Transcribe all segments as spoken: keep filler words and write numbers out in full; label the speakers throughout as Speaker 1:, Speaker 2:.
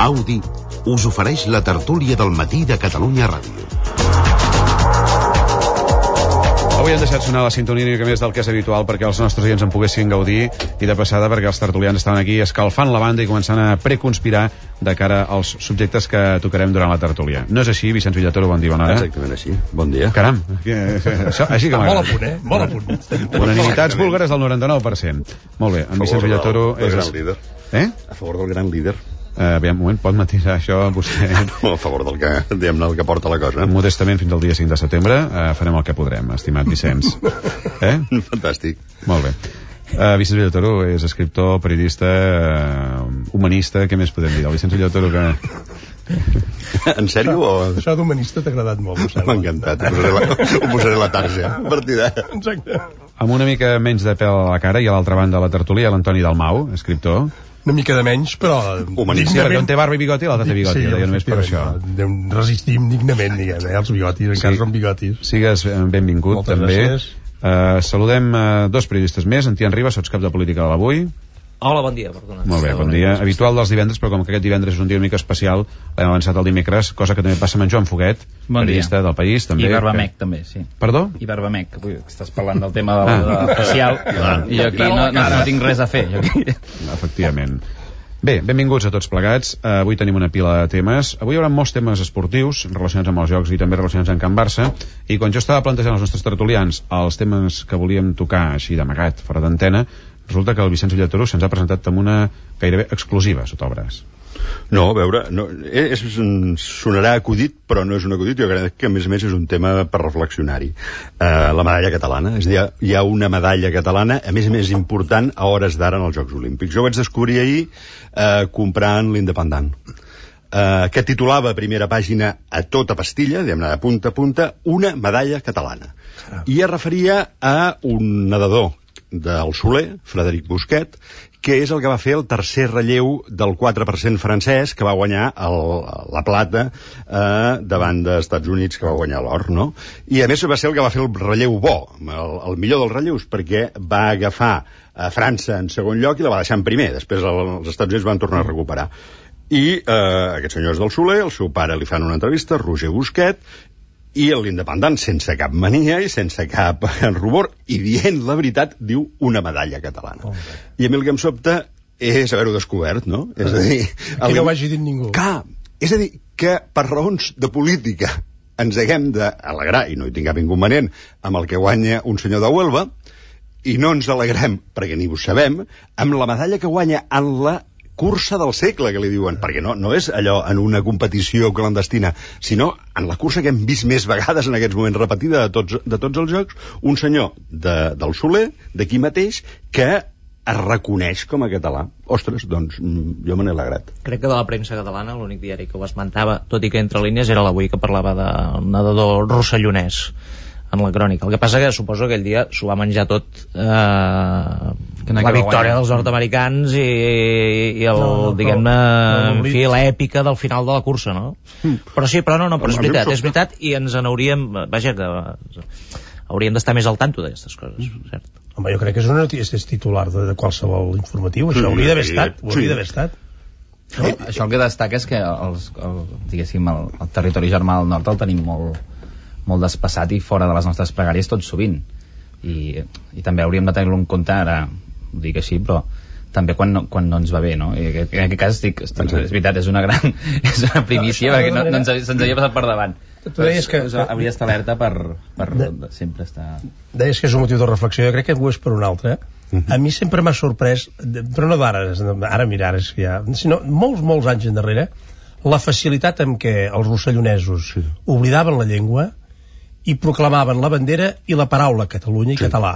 Speaker 1: Audi us ofereix la tertúlia del matí de Catalunya Ràdio.
Speaker 2: Avui hem deixat sonar la sintonia una mica més del que és habitual perquè els nostres oients en poguessin gaudir, i de passada perquè els tertulians estaven aquí escalfant la banda i començant a preconspirar de cara als subjectes que tocarem durant la tertúlia. No és així, Vicenç Villatoro? Bon dia, bona hora.
Speaker 3: Exactament així, bon dia.
Speaker 2: Caram, això, així que m'agrada.
Speaker 4: Molt a punt, eh? Molt a punt.
Speaker 2: Unanimitats búlgares del noranta-nou per cent. Molt bé, en Vicenç Villatoro
Speaker 3: és...
Speaker 2: és...
Speaker 3: gran líder.
Speaker 2: Eh?
Speaker 3: A favor del gran líder.
Speaker 2: Uh, aviam, un moment, pot matisar això vostè?
Speaker 3: No, a favor del que, diguem-ne, el que porta la cosa.
Speaker 2: Modestament, fins al dia cinc de setembre uh, farem el que podrem, estimat Vicenç. Eh?
Speaker 3: Fantàstic.
Speaker 2: Molt bé. Uh, Vicenç Villatoro és escriptor, periodista, uh, humanista, què més podem dir? El Vicenç Villatoro que...
Speaker 3: En sèrio o...?
Speaker 4: Això d'humanista t'ha agradat molt,
Speaker 3: m'ha encantat, ho posaré la, ho posaré la tarja a partir d'ara.
Speaker 4: Exacte.
Speaker 2: Amb una mica menys de pèl a la cara, i a l'altra banda de la tertúlia, l'Antoni Dalmau, escriptor.
Speaker 4: Una mica de menys, però...
Speaker 3: Humanista.
Speaker 2: Sí, perquè un té barba i bigoti, l'altre té bigoti,
Speaker 4: sí,
Speaker 2: deia només per això.
Speaker 4: Resistim dignament, diguem, eh? Els bigotis, encara sí. Són bigotis.
Speaker 2: Sigues benvingut,
Speaker 4: moltes
Speaker 2: també.
Speaker 4: Gràcies.
Speaker 2: Uh, saludem uh, dos periodistes més. En Tian Ribas, sots cap de política de l'Avui.
Speaker 5: Hola, bon dia, perdona.
Speaker 2: Molt bé, bon dia. Habitual dels divendres, però com que aquest divendres és un dia una mica especial, l'hem avançat el dimecres, cosa que també passa amb en Joan Foguet,
Speaker 6: bon
Speaker 2: periodista del País, també.
Speaker 6: I Barbamec,
Speaker 2: que...
Speaker 6: també, sí.
Speaker 2: Perdó?
Speaker 6: I Barbamec, avui estàs parlant del tema de la ah. facial, ah. i jo aquí no, no, no tinc res a fer. Jo aquí...
Speaker 2: Efectivament. Bé, benvinguts a tots plegats. Uh, avui tenim una pila de temes. Avui hi haurà molts temes esportius relacionats amb els jocs i també relacionats amb Can Barça, i quan jo estava plantejant als nostres tertulians els temes que volíem tocar així d'amagat, fora d'antena, resulta que el Vicenç Villatoro se'ns ha presentat amb una gairebé exclusiva sota el braç.
Speaker 3: No, a veure, no, és, sonarà acudit, però no és un acudit. Jo crec que, a més a més, és un tema per reflexionar-hi. Uh, la medalla catalana. És a dir, hi ha una medalla catalana, a més a més important, a hores d'ara en els Jocs Olímpics. Jo ho vaig descobrir ahir uh, comprant l'Independent, uh, que titulava a primera pàgina a tota pastilla, diguem-ne, de punta a punta, una medalla catalana. I es referia a un nedador del Soler, Frederic Busquet, que és el que va fer el tercer relleu del quatre per cent francès, que va guanyar el, la plata eh, davant dels Estats Units, que va guanyar l'or, no? I a més va ser el que va fer el relleu bo, el, el millor dels relleus, perquè va agafar a França en segon lloc i la va deixar en primer. Després el, els Estats Units van tornar a recuperar. I eh, aquests senyors del Soler, el seu pare li fan una entrevista, Roger Busquet, i l'Independent, sense cap mania i sense cap rubor, i dient la veritat, diu una medalla catalana. Oh, I a mi el que em sobta és haver-ho descobert, no? Uh, és a dir...
Speaker 4: Que no ho hagi dit ningú.
Speaker 3: Clar, és a dir, que per raons de política ens haguem d'alegrar, i no hi tinc cap inconvenient, amb el que guanya un senyor de Huelva, i no ens alegrem, perquè ni ho sabem, amb la medalla que guanya en la cursa del segle, que li diuen, perquè no, no és allò en una competició clandestina, sinó en la cursa que hem vist més vegades en aquests moments repetida de tots, de tots els jocs, un senyor de, del Soler, d'aquí mateix, que es reconeix com a català. Ostres, doncs, jo me n'he alegrat.
Speaker 5: Crec que de la premsa catalana, l'únic diari que ho esmentava, tot i que entre línies, era l'Avui, que parlava del nedador rossellonès en la crònica. El que passa que suposo que aquell dia s'ho va menjar tot eh, la victòria dels nord-americans i, i el, no, no, diguem-ne, no, no, en fi, l'èpica del final de la cursa, no? Mm. Però sí, però no, no, però és veritat, és veritat, i ens n'hauríem, vaja, que hauríem d'estar més al tanto d'aquestes coses, cert?
Speaker 4: Home, jo crec que és una notícia, és titular de, de qualsevol informatiu, això hauria d'haver estat, ho hauria d'haver estat.
Speaker 6: No? Això el que destaca és que els, el, diguéssim, el, el territori germà del nord el tenim molt molt despassat i fora de les nostres pregàries tot sovint, i, i també hauríem de tenir-lo en compte, ara ho dic així, però també quan no, quan no ens va bé, no? I en aquest cas dic, és veritat, és una gran és una primícia, perquè no, no ens, se'ns havia passat per davant.
Speaker 4: Tu deies que...
Speaker 6: Hauria d'estar alerta per, per de, sempre estar...
Speaker 4: Deies que és un motiu de reflexió, jo crec que ho és per un altre. Uh-huh. A mi sempre m'ha sorprès, però no d'ara, ara mira, ara és que ja... sinó molts, molts anys endarrere, la facilitat amb què els rossellonesos sí. oblidaven la llengua i proclamaven la bandera i la paraula Catalunya i sí. català.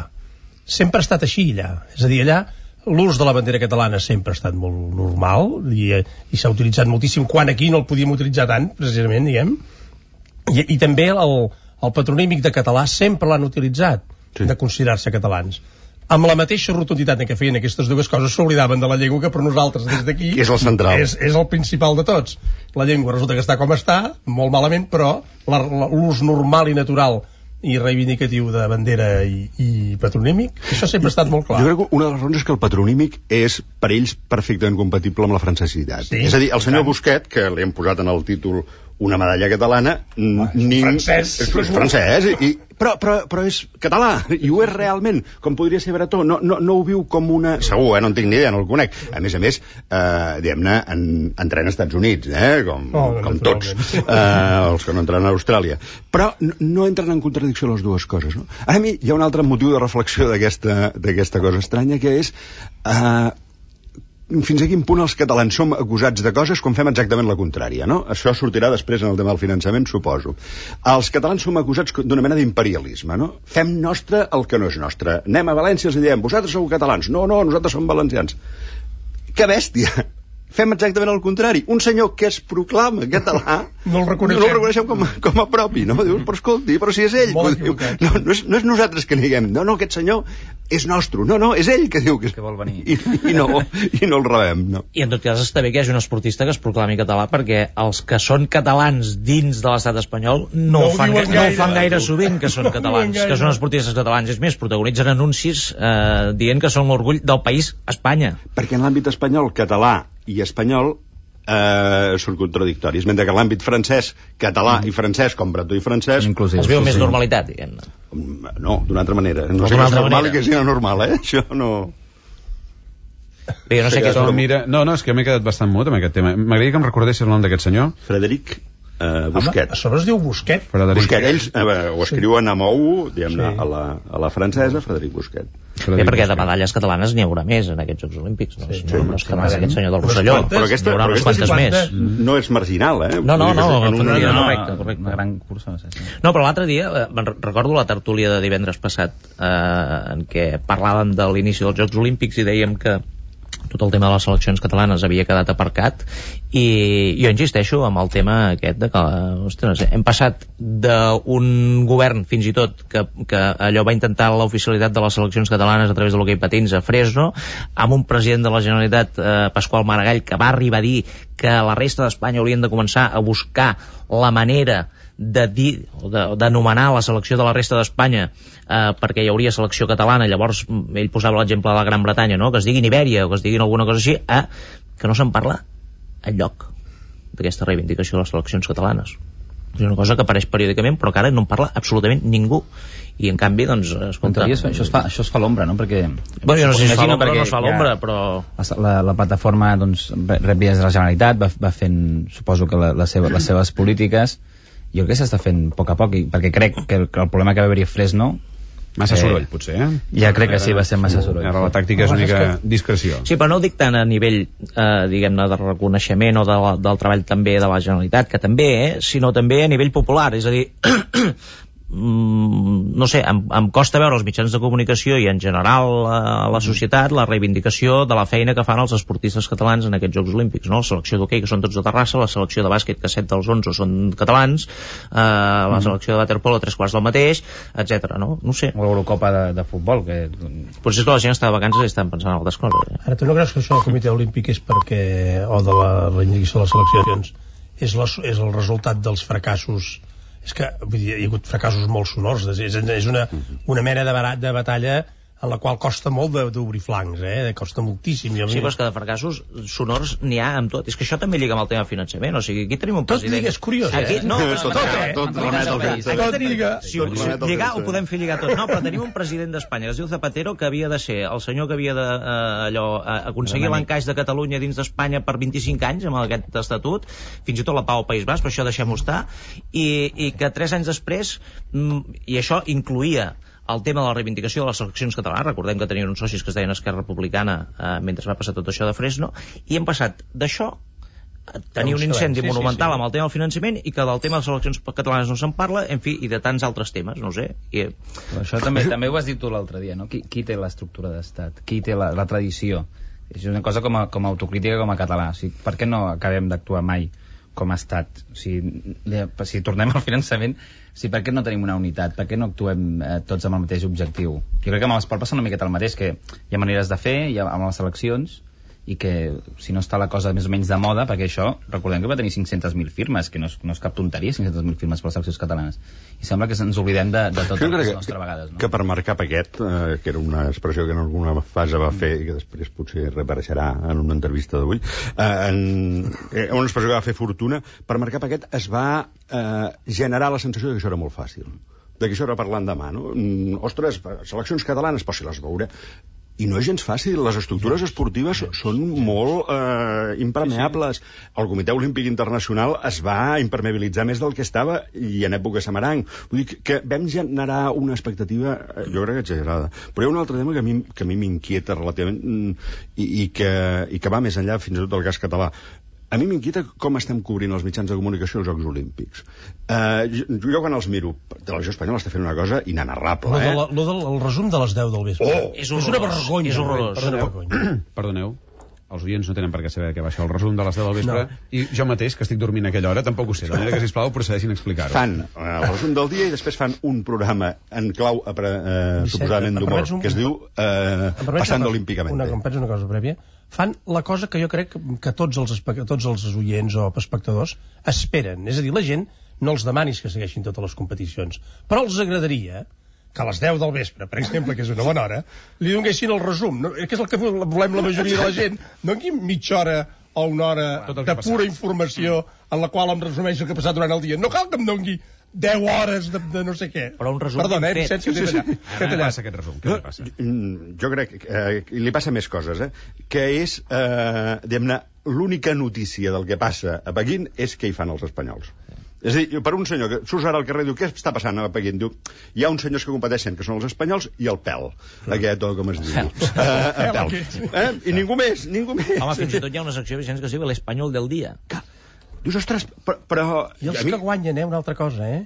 Speaker 4: Sempre ha estat així allà. És a dir, allà l'ús de la bandera catalana sempre ha estat molt normal i, i s'ha utilitzat moltíssim, quan aquí no el podíem utilitzar tant, precisament, diguem. I, i també el, el patronímic de català sempre l'han utilitzat, sí. de considerar-se catalans. Amb la mateixa rotunditat en què feien aquestes dues coses, s'oblidaven de la llengua, que per nosaltres des d'aquí
Speaker 3: és el central,
Speaker 4: és, és el principal de tots. La llengua resulta que està com està, molt malament, però l'ús normal i natural i reivindicatiu de bandera i, i patronímic, això sempre ha estat molt clar.
Speaker 3: Jo crec que una de les raons és que el patronímic és per ells perfectament compatible amb la francesitat.
Speaker 4: Sí,
Speaker 3: és a dir, el senyor Busquet, que li hem posat en el títol una medalla catalana,
Speaker 4: ah,
Speaker 3: ni...
Speaker 4: francès.
Speaker 3: És, és francès, i, però, però, però és català, i ho és realment, com podria ser Bretó. No, no, no ho viu com una... Segur, eh? No en tinc ni idea, no el conec. A més a més, eh, diguem-ne, en, entrena als Estats Units, eh? com,
Speaker 4: oh,
Speaker 3: com tots, eh, els que no entrenen a Austràlia. Però no, no entren en contradicció les dues coses. No? A mi hi ha un altre motiu de reflexió d'aquesta d'aquesta cosa estranya, que és... Eh, fins a quin punt els catalans som acusats de coses quan fem exactament la contrària, no? Això sortirà després en el tema del finançament, suposo. Els catalans som acusats d'una mena d'imperialisme, no? Fem nostre el que no és nostre. Anem a València i els diem, vosaltres sou catalans. No, no, nosaltres som valencians. Que bèstia! Fem exactament el contrari. Un senyor que es proclama català
Speaker 4: no el reconeixem,
Speaker 3: no el reconeixem com, a, com a propi, no? Dius, però escolti, però si és ell. Diu, no, no, és, no és nosaltres que diguem, no, no, aquest senyor és nostre. No, no, és ell que diu que, és,
Speaker 6: que vol venir.
Speaker 3: I, i, no, i no el rebem, no.
Speaker 5: I en tot cas està bé que hi hagi un esportista que es proclami català, perquè els que són catalans dins de l'estat espanyol no, no, ho, fan, gaire, no ho fan gaire sovint, que són catalans, que són esportistes catalans. És més, protagonitzen anuncis eh, dient que són l'orgull del país Espanya.
Speaker 3: Perquè en l'àmbit espanyol, català i espanyol eh, són contradictoris, mentre que l'àmbit francès, català mm. i francès, com bretó i francès,
Speaker 5: els veu més normalitat, diguem-ne.
Speaker 3: No, d'una altra manera. No sé que és normal i que sigui normal, eh? Això no...
Speaker 5: Bé, jo no sé què és...
Speaker 2: Mira... No, no, és que m'he quedat bastant mut amb aquest tema. M'agradaria que em recordessis el nom d'aquest senyor.
Speaker 3: Frederic eh, Busquet.
Speaker 4: Home, a sobre es diu Busquet.
Speaker 3: Frederic. Busquet, ells eh, ho escriuen amb ou, diguem-ne, sí. a, la, a la francesa, Frederic Busquet.
Speaker 5: Bé, perquè de medalles catalanes n'hi haurà més en aquests Jocs Olímpics, no?
Speaker 3: Sí,
Speaker 5: no, no és que no és aquest senyor del
Speaker 3: però
Speaker 5: Rosselló,
Speaker 3: però aquesta,
Speaker 5: n'hi haurà unes quantes més.
Speaker 3: No és marginal, eh?
Speaker 5: No, no, no, no,
Speaker 6: no,
Speaker 5: no,
Speaker 6: no,
Speaker 5: correcte, correcte.
Speaker 6: Una gran cursa, no sé si.
Speaker 5: No, però l'altre dia, eh, recordo la tertúlia de divendres passat, eh, en què parlàvem de l'inici dels Jocs Olímpics i dèiem que tot el tema de les seleccions catalanes havia quedat aparcat, i jo insisteixo amb el tema aquest de que, ostres, hem passat d'un govern fins i tot que, que allò va intentar l'oficialitat de les seleccions catalanes a través de l'hoquei patins a Fresno, amb un president de la Generalitat, eh, Pasqual Maragall, que va arribar a dir que la resta d'Espanya haurien de començar a buscar la manera de dir, d'anomenar la selecció de la resta d'Espanya eh, perquè hi hauria selecció catalana. Llavors ell posava l'exemple de la Gran Bretanya, no? Que es digui Ibèria o que es diguin alguna cosa així, eh, que no se'n parla enlloc d'aquesta reivindicació de les seleccions catalanes. És una cosa que apareix periòdicament però que ara no en parla absolutament ningú, i en canvi doncs escolta,
Speaker 6: això, això es fa, això es fa a l'ombra, no? Perquè
Speaker 5: bueno, jo no sé si es fa l'ombra o no es fa l'ombra, però
Speaker 6: la, la plataforma doncs rep vies de la Generalitat, va, va fent suposo que la, la seva, les seves polítiques. Jo crec que s'està fent a poc a poc, perquè crec que el, que el problema que va haver-hi a Fresno
Speaker 2: massa eh, soroll, potser, eh?
Speaker 6: Ja crec que sí, va ser massa soroll.
Speaker 2: Ara la tàctica és una mica discreció.
Speaker 5: Sí, però no ho dic tant a nivell, eh, diguem-ne, de reconeixement o de la, del treball també de la Generalitat, que també, eh, sinó també a nivell popular, és a dir... no sé, em, em costa veure els mitjans de comunicació i en general a la societat la reivindicació de la feina que fan els esportistes catalans en aquests Jocs Olímpics, no? La selecció d'hoquei, que són tots de Terrassa, la selecció de bàsquet, que set dels onze són catalans, eh, la mm. selecció de waterpolo, tres quarts del mateix, etcètera, no? No sé.
Speaker 6: O l'Eurocopa de, de futbol, que...
Speaker 5: Potser és que la gent està de vacances i estan pensant en altres coses. Eh?
Speaker 4: Ara, tu no creus que això del Comitè Olímpic és perquè, o de la reivindicació de les seleccions, és, la, és el resultat dels fracassos? És que vull dir, hi ha hagut fracassos molt sonors, és, és una, una mena de, barat, de batalla en la qual costa molt d'obrir flancs, eh? Costa moltíssim.
Speaker 5: Sí, però és que de fracassos sonors n'hi ha amb tot. És que això també lliga amb el tema finançament, o sigui, aquí tenim un president...
Speaker 4: Tot lliga, és curiós, eh?
Speaker 5: Aquí, no,
Speaker 3: tot, tot, eh? Tot,
Speaker 4: tot lliga.
Speaker 5: Si ho, si lligar, ho podem fer lligar tot. No, però tenim un president d'Espanya, que es diu Zapatero, que havia de ser el senyor que havia de, eh, allò, eh, aconseguir l'encaix de Catalunya dins d'Espanya per vint-i-cinc anys, amb aquest estatut, fins i tot la pau al País Basc, però això deixem-ho estar, i, i que tres anys després, i això incluïa el tema de la reivindicació de les seleccions catalanes. Recordem que tenien uns socis que es deien Esquerra Republicana eh, mentre va passar tot això de Fresno, i hem passat d'això a tenir un incendi sí, monumental sí, sí. amb el tema del finançament, i que del tema de les seleccions catalanes no se'n parla, en fi, i de tants altres temes, no ho sé. I...
Speaker 6: Però això també també ho has dit tu l'altre dia, no? Qui, qui té l'estructura d'estat? Qui té la, la tradició? És una cosa com a, com a autocrítica, com a català. O sigui, per què no acabem d'actuar mai com a estat? O sigui, si tornem al finançament, sí, per què no tenim una unitat? Per què no actuem eh, tots amb el mateix objectiu? Jo crec que amb l'esport passa una miqueta el mateix, que hi ha maneres de fer, hi ha, amb les seleccions, i que si no està la cosa més o menys de moda, perquè això, recordem que va tenir cinc-centes mil firmes, que no és, no és cap tonteria, cinc-centes mil firmes per les seleccions catalanes, i sembla que ens oblidem de, de totes les nostres vegades, no?
Speaker 3: Que per marcar paquet, eh, que era una expressió que en alguna fase va fer i que després potser reapareixerà en una entrevista d'avui, eh, en, eh, una expressió que va fer Fortuna, per marcar paquet es va eh, generar la sensació de que això era molt fàcil, de que això era parlant demà, no? Mm, ostres, seleccions catalanes, però si les veuré... I no és gens fàcil, les estructures esportives són molt eh, impermeables. El Comitè Olímpic Internacional es va impermeabilitzar més del que estava i en època Samaranc. Vull dir que vam generar una expectativa, eh, jo crec que exagerada. Però hi ha un altre tema que a mi, que a mi m'inquieta relativament i, i, que, i que va més enllà fins i tot del cas català. A mi m'inquieta com estem cobrint els mitjans de comunicació els Jocs Olímpics. Uh, jo, jo quan els miro, Televisió Espanyola està fent una cosa inenarrable, eh?
Speaker 4: Lo, de la, lo del el resum de les deu del vespre.
Speaker 3: Oh!
Speaker 5: És,
Speaker 4: és una vergonya.
Speaker 5: És horrorós.
Speaker 4: Perdoneu.
Speaker 2: Perdoneu, els oients no tenen per què saber què va això, el resum de les deu del vespre, no. I jo mateix, que estic dormint a aquella hora, tampoc ho sé, de manera que, sisplau, procedeixin a explicar-ho.
Speaker 3: Fan uh, el resum del dia i després fan un programa en clau, uh, suposadament d'humor, un... que es diu uh, Passant Olímpicament.
Speaker 4: Una, em penso una cosa prèvia. Fan la cosa que jo crec que tots els, tots els oients o espectadors esperen. És a dir, la gent no els demanis que segueixin totes les competicions, però els agradaria que a les deu del vespre, per exemple, que és una bona hora, li donessin el resum, no? Que és el que volem la majoria de la gent, no aquí mitja hora o una hora de pura informació en la qual em resumeix el que ha passat durant el dia. No cal que em doni deu hores de, de no sé què.
Speaker 5: Però un resum
Speaker 4: Perdona, eh,
Speaker 5: fet.
Speaker 4: Sí, sí, sí.
Speaker 2: Què te passa aquest resum? Què li passa?
Speaker 3: Jo crec que eh, li passa més coses, eh? Que és, eh, diguem-ne, l'única notícia del que passa a Pequín és què hi fan els espanyols. És a dir, per un senyor que surts ara al carrer i diu què està passant a Pequín? Diu, hi ha uns senyors que competeixen, que són els espanyols, i el pèl. Aquest, o com es diu. Uh, pèl. Eh? I ningú més, ningú més.
Speaker 5: Home, fins i tot hi ha una secció, Vicenç, que es diu l'Espanyol del dia.
Speaker 3: Dius, ostres, però... però
Speaker 4: I els que guanyen, eh, una altra cosa, eh?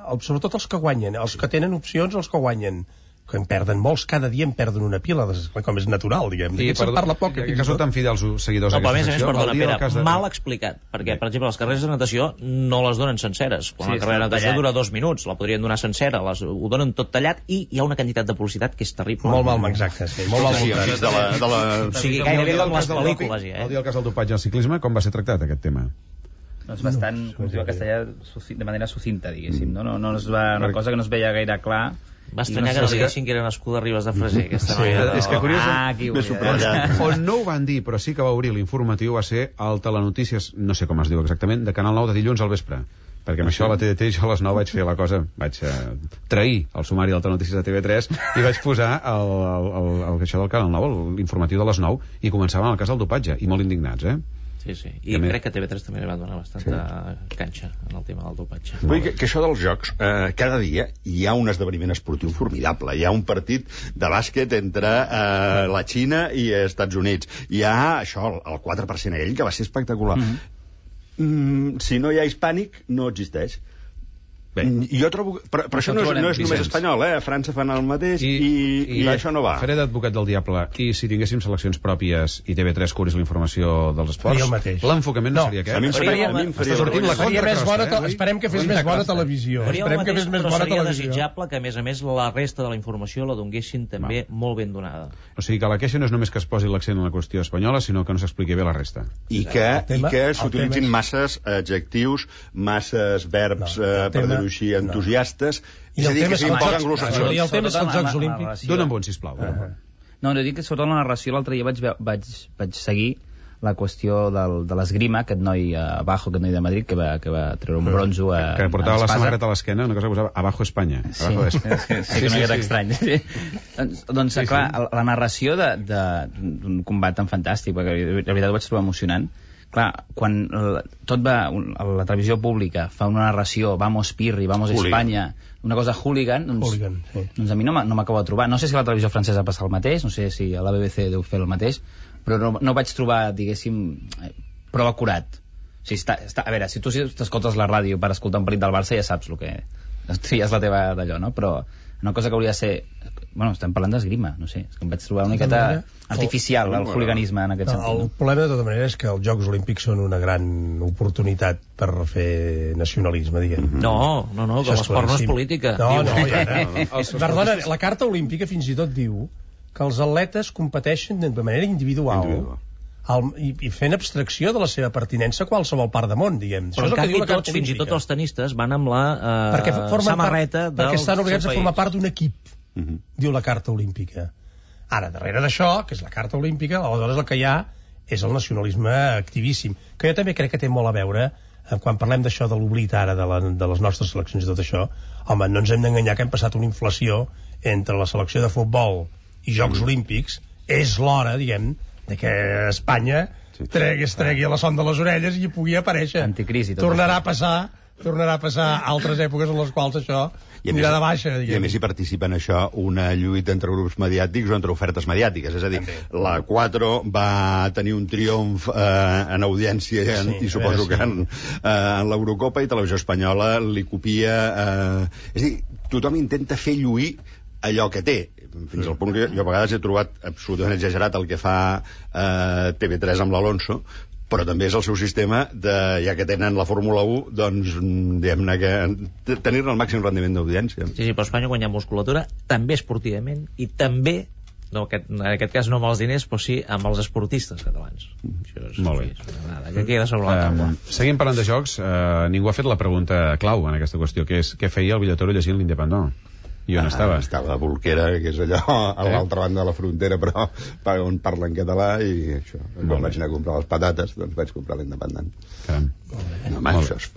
Speaker 4: El, sobretot els que guanyen, els que tenen opcions, els que guanyen. Que en perden molts, cada dia en perden una pila, com és natural, diguem.
Speaker 2: I
Speaker 4: se'n parla poc.
Speaker 2: Que, que són tan fidels seguidors
Speaker 5: no, però a més a
Speaker 2: d'aquesta
Speaker 5: més,
Speaker 2: secció.
Speaker 5: perdona, Pere,
Speaker 2: de...
Speaker 5: mal explicat, perquè, per exemple, les carreres de natació no les donen senceres. Quan
Speaker 6: Sí,
Speaker 5: la carrera de natació
Speaker 6: tallat.
Speaker 5: dura dos minuts, la podrien donar sencera, les, ho donen tot tallat i hi ha una quantitat de publicitat que és terrible.
Speaker 4: Molt mal, exacte, sí, molt mal.
Speaker 3: Sí, sí, de la, de la...
Speaker 5: O sigui, gairebé com les pel·lícules, ja,
Speaker 2: El
Speaker 5: eh?
Speaker 2: dia del cas del dopatge al ciclisme, com va ser tractat aquest tema?
Speaker 6: Doncs bastant, com es diu en castellà, suci- de manera sucinta, diguéssim, no? No, no es va, una cosa que no es veia gaire clar.
Speaker 5: Va estranyar que no diguessin que era nascuda a Ribes de Freser, aquesta
Speaker 2: Sí,
Speaker 5: noia.
Speaker 2: és que curiós,
Speaker 6: Ah, aquí ho
Speaker 3: Més
Speaker 6: veia.
Speaker 3: subratllat.
Speaker 2: on no ho van dir, però sí que va obrir l'informatiu, va ser el Telenotícies, no sé com es diu exactament, de Canal nou de dilluns al vespre. Perquè amb això a la T D T jo a les nou vaig fer la cosa, vaig eh, trair el sumari del Telenotícies de T V tres i vaig posar el, el, el, el, això del Canal nou, l'informatiu de les nou, i començava amb el cas del dopatge, i molt indignats, eh?
Speaker 5: Sí, sí. I
Speaker 2: Que
Speaker 5: crec que T V tres també li va donar bastanta sí. canxa en el tema del dopatge.
Speaker 3: Vull dir que, que això dels jocs, eh, cada dia hi ha un esdeveniment esportiu formidable. Hi ha un partit de bàsquet entre eh, la Xina i els Estats Units. Hi ha això, el quatre per cent ell, que va ser espectacular. Mm-hmm. Mm, si no hi ha hispànic, no existeix. Bé. Jo trobo... Però, però això no és, no és només espanyol, eh? A França fan el mateix i, i, i, i això no va.
Speaker 2: Faré d'advocat del diable, i si tinguéssim seleccions pròpies i T V tres cobrís la informació dels esports,
Speaker 4: Faria el mateix.
Speaker 2: l'enfocament no,
Speaker 4: No,
Speaker 2: seria
Speaker 3: a mi em
Speaker 2: aquest.
Speaker 3: faria- a mi em faria
Speaker 2: Està sortint la
Speaker 4: Faria més
Speaker 2: contracrossa,
Speaker 4: bona,
Speaker 2: eh?
Speaker 4: te- esperem que fes
Speaker 2: La
Speaker 4: més bona
Speaker 2: contracrossa.
Speaker 4: televisió.
Speaker 5: Faria el
Speaker 4: Esperem que
Speaker 5: mateix,
Speaker 4: fes més
Speaker 5: però
Speaker 4: bona
Speaker 5: seria
Speaker 4: televisió.
Speaker 5: desitjable que, a més a més, la resta de la informació la donguessin també
Speaker 2: Va.
Speaker 5: molt ben donada.
Speaker 2: O sigui que la queixa no és només que es posi l'accent en la qüestió espanyola, sinó que no s'expliqui bé la resta.
Speaker 3: I que,
Speaker 4: tema-
Speaker 3: i que
Speaker 4: el
Speaker 3: s'utilitzin
Speaker 4: tema és-
Speaker 3: masses adjectius, masses verbs,
Speaker 4: No,
Speaker 3: eh,
Speaker 4: el
Speaker 3: per
Speaker 4: tema-
Speaker 3: dir-ho així,
Speaker 4: no.
Speaker 3: entusiastes.
Speaker 4: I
Speaker 3: És a
Speaker 4: el
Speaker 3: dir,
Speaker 4: tema
Speaker 3: que
Speaker 4: és que
Speaker 3: s'imposen
Speaker 4: els Jocs-
Speaker 3: anglosaxons.
Speaker 4: i el tema és que els
Speaker 6: Sobretot
Speaker 4: Jocs
Speaker 6: la- la
Speaker 4: Olímpics-
Speaker 6: narració.
Speaker 2: Dóna'm bon, sisplau.
Speaker 4: Uh-huh.
Speaker 6: No, no dic que sobretot la narració l'altre dia vaig, ve- vaig, vaig seguir la qüestió del, de l'esgrima, aquest noi a Abajo, aquest noi de Madrid, que va, que va treure un bronzo a,
Speaker 2: Que portava
Speaker 6: a
Speaker 2: la
Speaker 6: espasa.
Speaker 2: samarreta a l'esquena, una cosa que posava Abajo Espanya.
Speaker 6: Sí,
Speaker 2: Abajo
Speaker 6: sí,
Speaker 2: Espanya.
Speaker 6: sí, sí, que una miqueta estrany. Sí. doncs, doncs
Speaker 2: Sí,
Speaker 6: sí, clar,
Speaker 2: sí.
Speaker 6: la narració de- de- d'un combat tan fantàstic, perquè la veritat ho vaig trobar emocionant. Clar, quan eh, tot va, un- la televisió pública fa una narració, vamos Pirri, vamos
Speaker 3: Hooligan.
Speaker 6: Espanya, una cosa hooligan, doncs,
Speaker 4: Hooligan, sí.
Speaker 6: doncs a mi no m'ha- no m'acabo de trobar. No sé si a la televisió francesa passa el mateix, no sé si a la B B C deu fer el mateix, però no, no vaig trobar, diguéssim, eh, prou acurat. O sigui, està, està, a veure, si tu t'escoltes la ràdio per escoltar un partit del Barça ja saps el que... tries la teva d'allò, no? Però una cosa que hauria de ser... Bueno, estem parlant d'esgrima, no sé, és que em vaig trobar una miqueta
Speaker 4: manera,
Speaker 6: artificial,
Speaker 3: el-
Speaker 6: el hooliganisme en aquest
Speaker 4: No,
Speaker 6: sentit.
Speaker 4: el
Speaker 6: No?
Speaker 4: problema de tota manera és que els Jocs Olímpics són una gran oportunitat per fer nacionalisme, diguem.
Speaker 5: No, no, no, que
Speaker 4: Això és
Speaker 5: l'esport no és
Speaker 4: claríssim.
Speaker 5: política.
Speaker 4: No,
Speaker 5: Diu-
Speaker 4: no, ja
Speaker 2: no, no.
Speaker 4: no. Perdona, la Carta Olímpica fins i tot diu que els atletes competeixen de manera individual,
Speaker 3: Individual.
Speaker 4: el, i, i fent abstracció de la seva pertinença a qualsevol part del món, diguem.
Speaker 5: Però en canvi tots, fins i tot els tenistes, van amb la eh, samarreta
Speaker 4: part, perquè estan obligats a formar part d'un equip,
Speaker 3: uh-huh.
Speaker 4: diu la Carta Olímpica. Ara, darrere d'això, que és la Carta Olímpica, aleshores el que hi ha és el nacionalisme activíssim, que jo també crec que té molt a veure, eh, quan parlem d'això de l'oblit ara de, la, de les nostres seleccions i tot això, home, no ens hem d'enganyar que hem passat una inflació entre la selecció de futbol i Jocs mm. Olímpics. És l'hora, diguem, de que Espanya tregui, es tregui a la son de les orelles i hi pugui aparèixer.
Speaker 6: Anticrisi.
Speaker 4: Tornarà a passar tornarà a passar altres èpoques en les quals això anirà de baixa, diguem.
Speaker 3: I a més hi participa en això una lluita entre grups mediàtics o entre ofertes mediàtiques, és a dir, també. La quatre va tenir un triomf eh, en audiència sí, en, i suposo veure, que en, eh, en l'Eurocopa, i Televisió Espanyola li copia eh, és a dir, tothom intenta fer lluir allò que té, fins al punt que jo a vegades he trobat absolutament exagerat el que fa eh, T V tres amb l'Alonso, però també és el seu sistema de, ja que tenen la Fórmula u, doncs diguem-ne que tenir-ne el màxim rendiment d'audiència.
Speaker 5: Sí, sí, però Espanya guanya musculatura també esportivament i també, no, aquest, en aquest cas no amb els diners, però sí amb els esportistes catalans. Això és,
Speaker 2: molt bé.
Speaker 5: És que queda sobre la taula.
Speaker 2: Uh, seguim parlant de jocs, uh, ningú ha fet la pregunta clau en aquesta qüestió, que és què feia el Villatoro llegint l'Independent? I on ah, estava?
Speaker 3: Estava a Bolquera, que és allò a eh? l'altra banda de la frontera, però on parla en català, i això. Quan vaig anar a comprar les patates, doncs vaig comprar l'Independent.
Speaker 2: Caram.
Speaker 3: No, home, això és...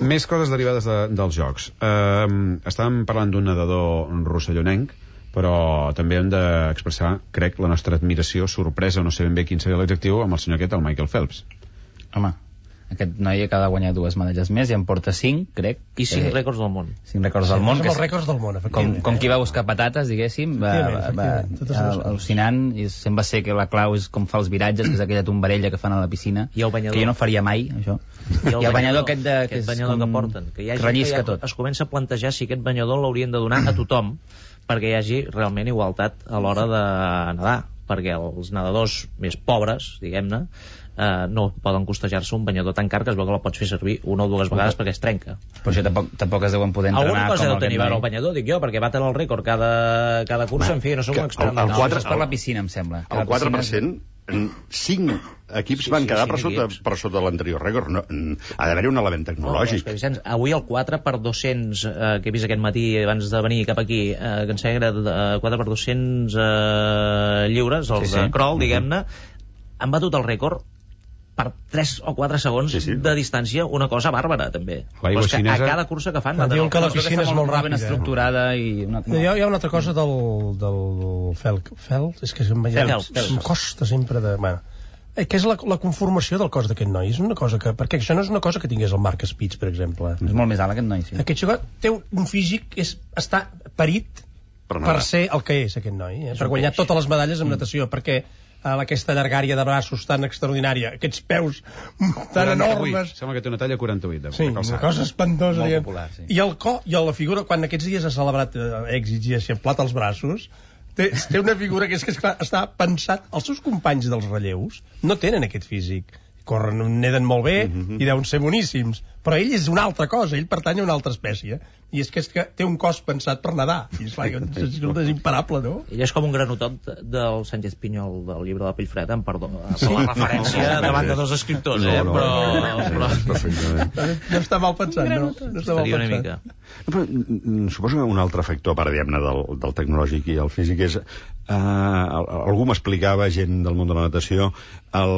Speaker 2: Més coses derivades de, dels jocs. Uh, estàvem parlant d'un nedador rossellonenc, però també hem d'expressar, crec, la nostra admiració, sorpresa, o no sé ben bé quin seria l'adjectiu, amb el senyor aquest, el Michael Phelps.
Speaker 6: Home, aquest noi acaba de guanyar dues medalles més i en porta cinc, crec.
Speaker 5: I cinc
Speaker 6: eh,
Speaker 5: rècords del món.
Speaker 6: Cinc rècords del món.
Speaker 4: Sí, els rècords del món,
Speaker 6: com, com qui va buscar patates, diguéssim, va, va, va al·lucinant, i sembla ser que la clau és com fa els viratges, que és aquella tombarella que fan a la piscina,
Speaker 5: I el banyador.
Speaker 6: que jo no faria mai, això.
Speaker 5: I el,
Speaker 6: I el banyador aquest, de,
Speaker 5: aquest
Speaker 6: que és
Speaker 5: banyador
Speaker 6: com...
Speaker 5: que porten, que hi ha gent
Speaker 6: rellisca
Speaker 5: que ja
Speaker 6: tot.
Speaker 5: Es comença a plantejar si aquest banyador l'haurien de donar a tothom perquè hi hagi realment igualtat a l'hora de nedar, perquè els nedadors més pobres, diguem-ne, eh, no poden costejar-se un banyador tan car que es veu que la pots fer servir una o dues vegades perquè es trenca.
Speaker 6: Però això tampoc, tampoc es deuen poder entrenar.
Speaker 5: Alguna cosa
Speaker 6: com
Speaker 5: deu tenir a veure el banyador, dic jo, perquè baten el rècord cada, cada cursa, en fi, no som un expert.
Speaker 3: El, el, el quatre,
Speaker 6: no, és per la piscina, em sembla.
Speaker 3: El quatre per cent, cinc equips sí, van
Speaker 5: sí,
Speaker 3: quedar
Speaker 5: sí,
Speaker 3: per sota,
Speaker 5: equips.
Speaker 3: per sota l'anterior rècord. No, ha d'haver-hi un element tecnològic.
Speaker 5: No, Vicenç, avui el quatre per dos-cents, eh, que he vist aquest matí abans de venir cap aquí, eh, que em sembla que era eh, quatre per dos-cents eh, lliures, els sí, sí. de crawl, diguem-ne, han batut el rècord per tres o quatre segons sí, sí. de distància, una cosa bàrbara també.
Speaker 2: Però és que
Speaker 5: a cada cursa que fan
Speaker 4: diuen que la piscina és molt ràpida,
Speaker 6: ben estructurada i una...
Speaker 4: no. Hi, ha, hi ha una altra cosa del, del fel, fel és que em,
Speaker 5: Phelps, Phelps.
Speaker 4: em costa sempre de... Bueno, que és la, la conformació del cos d'aquest noi, és una cosa que, perquè això no és una cosa que tingués el Marc Spitz, per exemple.
Speaker 6: És molt més alt aquest noi, sí.
Speaker 4: Aquest xicot té un físic que és, està parit per, per ser el que és aquest noi, eh? Per guanyar totes les medalles en mm. natació, perquè a aquesta llargària de braços tan extraordinària, aquests peus tan enormes.
Speaker 2: Sembla que té una talla quaranta-vuit. De
Speaker 4: sí, una cosa espantosa.
Speaker 6: Molt popular, sí.
Speaker 4: I el cor, i la figura, quan aquests dies ha celebrat eh, èxits i ha eixamplat els braços, té, té una figura que és que esclar, està pensat... Els seus companys dels relleus no tenen aquest físic. Corren, neden molt bé mm-hmm. i deuen ser boníssims, però ell és una altra cosa, ell pertany a una altra espècie, i és que, és que té un cos pensat per nedar, i és, clar, és imparable, no?
Speaker 5: Ell és com un granotot del Sánchez Pinyol del llibre de Pellfreda, amb perdó, per la referència davant de dos escriptors, eh?
Speaker 3: No, no,
Speaker 5: però...
Speaker 3: no,
Speaker 5: però...
Speaker 4: no està mal pensat, no? No està mal
Speaker 5: pensat. Mica.
Speaker 3: No, però, suposo que un altre factor, per diguem-ne, del, del tecnològic i el físic és... Eh, algú m'explicava, gent del món de la natació, el,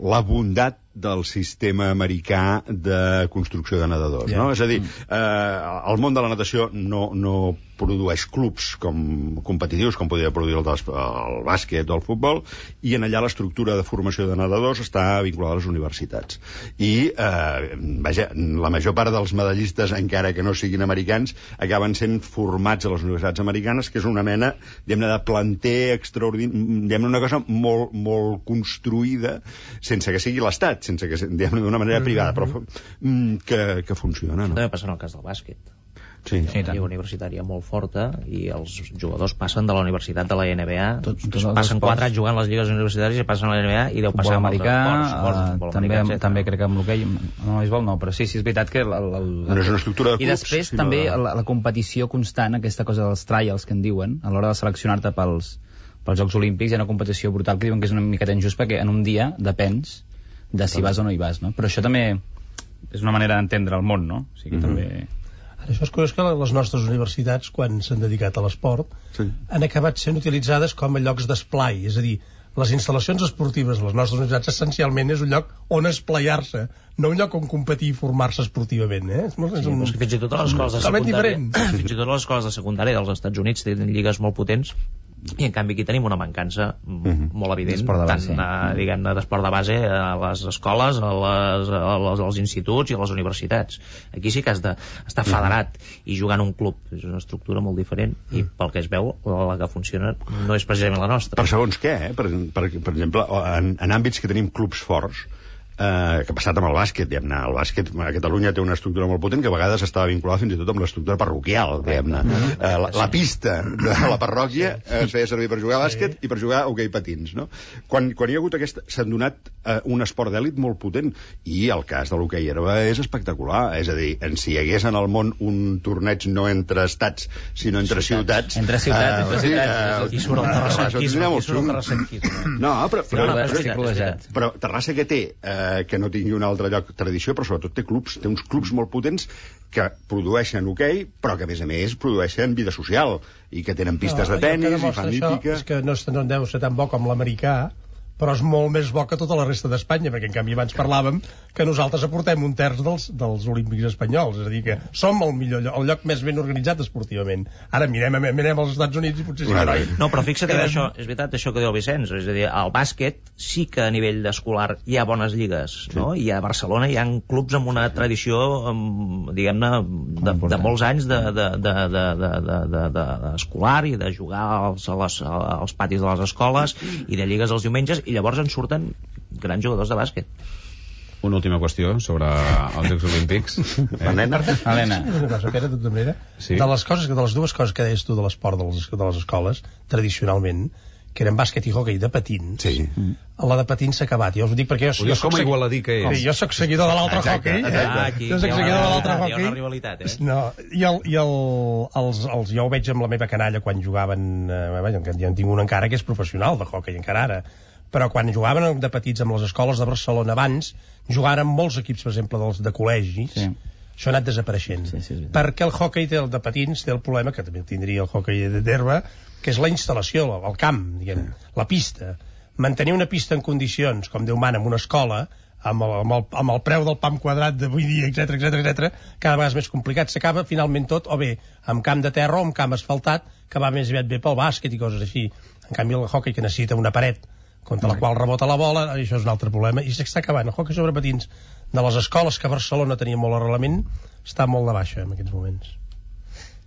Speaker 3: la bondat del sistema americà de construcció de nedadors, yeah. no? És a dir, eh, el món de la natació no, no produeix clubs com competitius, com podria produir el, del, el bàsquet o el futbol, i en allà l'estructura de formació de nedadors està vinculada a les universitats. I, eh, vaja, la major part dels medallistes, encara que no siguin americans, acaben sent formats a les universitats americanes, que és una mena, diguem-ne, de planter extraordinari, diguem-ne, una cosa molt, molt construïda, sense que sigui l'Estat, sense que, diguem-ne, d'una manera privada, però que, que funciona, no?
Speaker 5: També passa en el cas del bàsquet.
Speaker 3: Sí,
Speaker 5: sí, una lliga universitària molt forta i els jugadors passen de la universitat de la N B A, tots, tots passen quatre anys jugant a les lligues universitàries i passen a la N B A i deu passar
Speaker 6: amb americà,
Speaker 5: altres esports,
Speaker 6: uh, també, americà, també crec que amb l'hoquei no, beisbol no, però sí, sí, és veritat que el, el, el,
Speaker 3: no és una estructura de clubs,
Speaker 6: i després també la, la competició constant, aquesta cosa dels trials que en diuen, a l'hora de seleccionar-te pels pels Jocs Olímpics hi ha una competició brutal que diuen que és una miqueta injust perquè en un dia depens de si vas o no hi vas, no? Però això també és una manera d'entendre el món, no? O sigui, mm-hmm. també...
Speaker 4: Ara, això és curiós que les nostres universitats, quan s'han dedicat a l'esport, sí. han acabat sent utilitzades com a llocs d'esplai, és a dir, les instal·lacions esportives de les nostres universitats essencialment és un lloc on esplaiar-se, no un lloc on competir i formar-se esportivament, eh? És, molt,
Speaker 5: sí,
Speaker 4: és un...
Speaker 5: és que fins i tot a les escoles de secundària fins i tot a les escoles de secundària dels Estats Units tenen lligues molt potents i en canvi aquí tenim una mancança mm-hmm. molt evident,
Speaker 6: de
Speaker 5: tant a, diguem-ne, d'esport de base a les escoles, a les, a les, als instituts i a les universitats. Aquí sí que has d'estar federat mm-hmm. i jugar en un club, és una estructura molt diferent mm. i pel que es veu, la que funciona no és precisament la nostra.
Speaker 3: Per segons què, eh? Per, per, per exemple, en, en àmbits que tenim clubs forts, Eh, que ha passat amb el bàsquet, diguem-ne. El bàsquet a Catalunya té una estructura molt potent que a vegades estava vinculada fins i tot amb l'estructura parroquial, diguem-ne. Mm-hmm. Eh, la, la pista de la parròquia es feia servir per jugar a bàsquet i per jugar a hoquei patins, no? Quan, quan hi ha hagut aquesta... s'han donat eh, un esport d'èlit molt potent i el cas de l'hoquei herba és espectacular, és a dir, en si hi hagués en el món un torneig no entre estats, sinó entre ciutats...
Speaker 6: Entre ciutats, entre ciutats.
Speaker 5: I surt el terrassenquisme, i surt el terrassenquisme.
Speaker 3: No, però...
Speaker 5: Però, però,
Speaker 3: però Terrassa que té... Eh, que no tingui un altre lloc tradició, però sobretot té clubs, té uns clubs molt potents que produeixen hoquei, però que a més a més produeixen vida social i que tenen pistes no, de tenis i fan hípica.
Speaker 4: És que no, no deu ser tan bo com l'americà, però és molt més bo que tota la resta d'Espanya, perquè en canvi abans parlàvem que nosaltres aportem un terç dels, dels olímpics espanyols, és a dir que som el millor lloc, el lloc més ben organitzat esportivament. Ara mirem, mirem als Estats Units i potser sí.
Speaker 5: No, no, però fixa't que això, és veritat això que diu el Vicenç, és a dir, al bàsquet sí que a nivell d'escolar hi ha bones lligues, sí. no? I a Barcelona hi ha clubs amb una tradició, diguem-ne, de, de molts anys de, de, de, de, de, de, de, de, de escolar i de jugar als, als, als patis de les escoles i de lligues els diumenges, i llavors en surten grans jugadors de bàsquet.
Speaker 2: Una última qüestió sobre els Jocs Olímpics.
Speaker 3: Eh? Helena.
Speaker 4: Helena. Una cosa, Pere, de tota manera, sí. de les coses, de les dues coses que deies tu de l'esport de les, de les escoles, tradicionalment, que eren bàsquet i hoquei de patins,
Speaker 3: sí.
Speaker 4: la de patins s'ha acabat. Jo us ho dic perquè jo,
Speaker 2: jo com a igualadí que és.
Speaker 4: Sí, jo soc seguidor de l'altre hoquei.
Speaker 5: Ah, aquí
Speaker 4: jo soc seguidor de l'altre hoquei.
Speaker 5: Hi ha una rivalitat, eh?
Speaker 4: No, i, el, i el, els, els, jo ho veig amb la meva canalla quan jugaven, eh, ja en tinc un encara que és professional de hoquei, encara ara, però quan jugaven de petits amb les escoles de Barcelona abans, jugaven amb molts equips, per exemple, dels, de col·legis, sí. això ha anat desapareixent. Sí, sí, sí. Perquè el hoquei té el de patins té el problema, que també tindria el hoquei d'herba, que és la instal·lació, el camp, diguem, la pista. Mantenir una pista en condicions, com Déu mana, en una escola, amb el, amb el, amb el preu del pam quadrat d'avui dia, etcètera, etcètera, etcètera, cada vegada és més complicat. S'acaba finalment tot, o bé amb camp de terra o amb camp asfaltat, que va més aviat bé pel bàsquet i coses així. En canvi, el hoquei, que necessita una paret contra la qual rebota la bola, això és un altre problema, i s'està acabant. El hoquei sobre patins de les escoles que a Barcelona tenia molt arrelament està molt de baixa en aquests moments.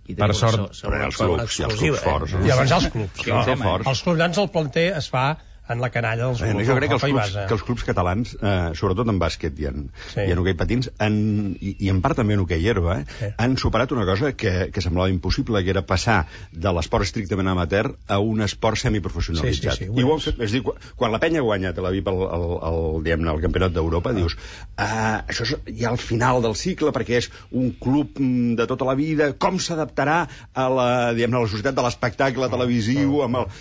Speaker 5: I
Speaker 2: per sort,
Speaker 3: sobre els clubs, i els clubs forts.
Speaker 4: I abans els clubs.
Speaker 3: No, no, forts.
Speaker 4: Els clubs grans el planter es fa en la canalla dels clubs.
Speaker 3: Jo crec que els clubs, que els clubs catalans, eh, sobretot en bàsquet i en, sí. i en hoquei patins, han, i, i en part també en hoquei herba, eh, sí. han superat una cosa que, que semblava impossible, que era passar de l'esport estrictament amateur a un esport semiprofessionalitzat. Sí, sí, sí, I ho han fet, és dir, quan la penya ha guanyat a la V I P el, el, el, el, el campionat d'Europa, ah. dius, ah, això és ja al final del cicle, perquè és un club de tota la vida, com s'adaptarà a la, diguem, a la societat de l'espectacle televisiu, amb el...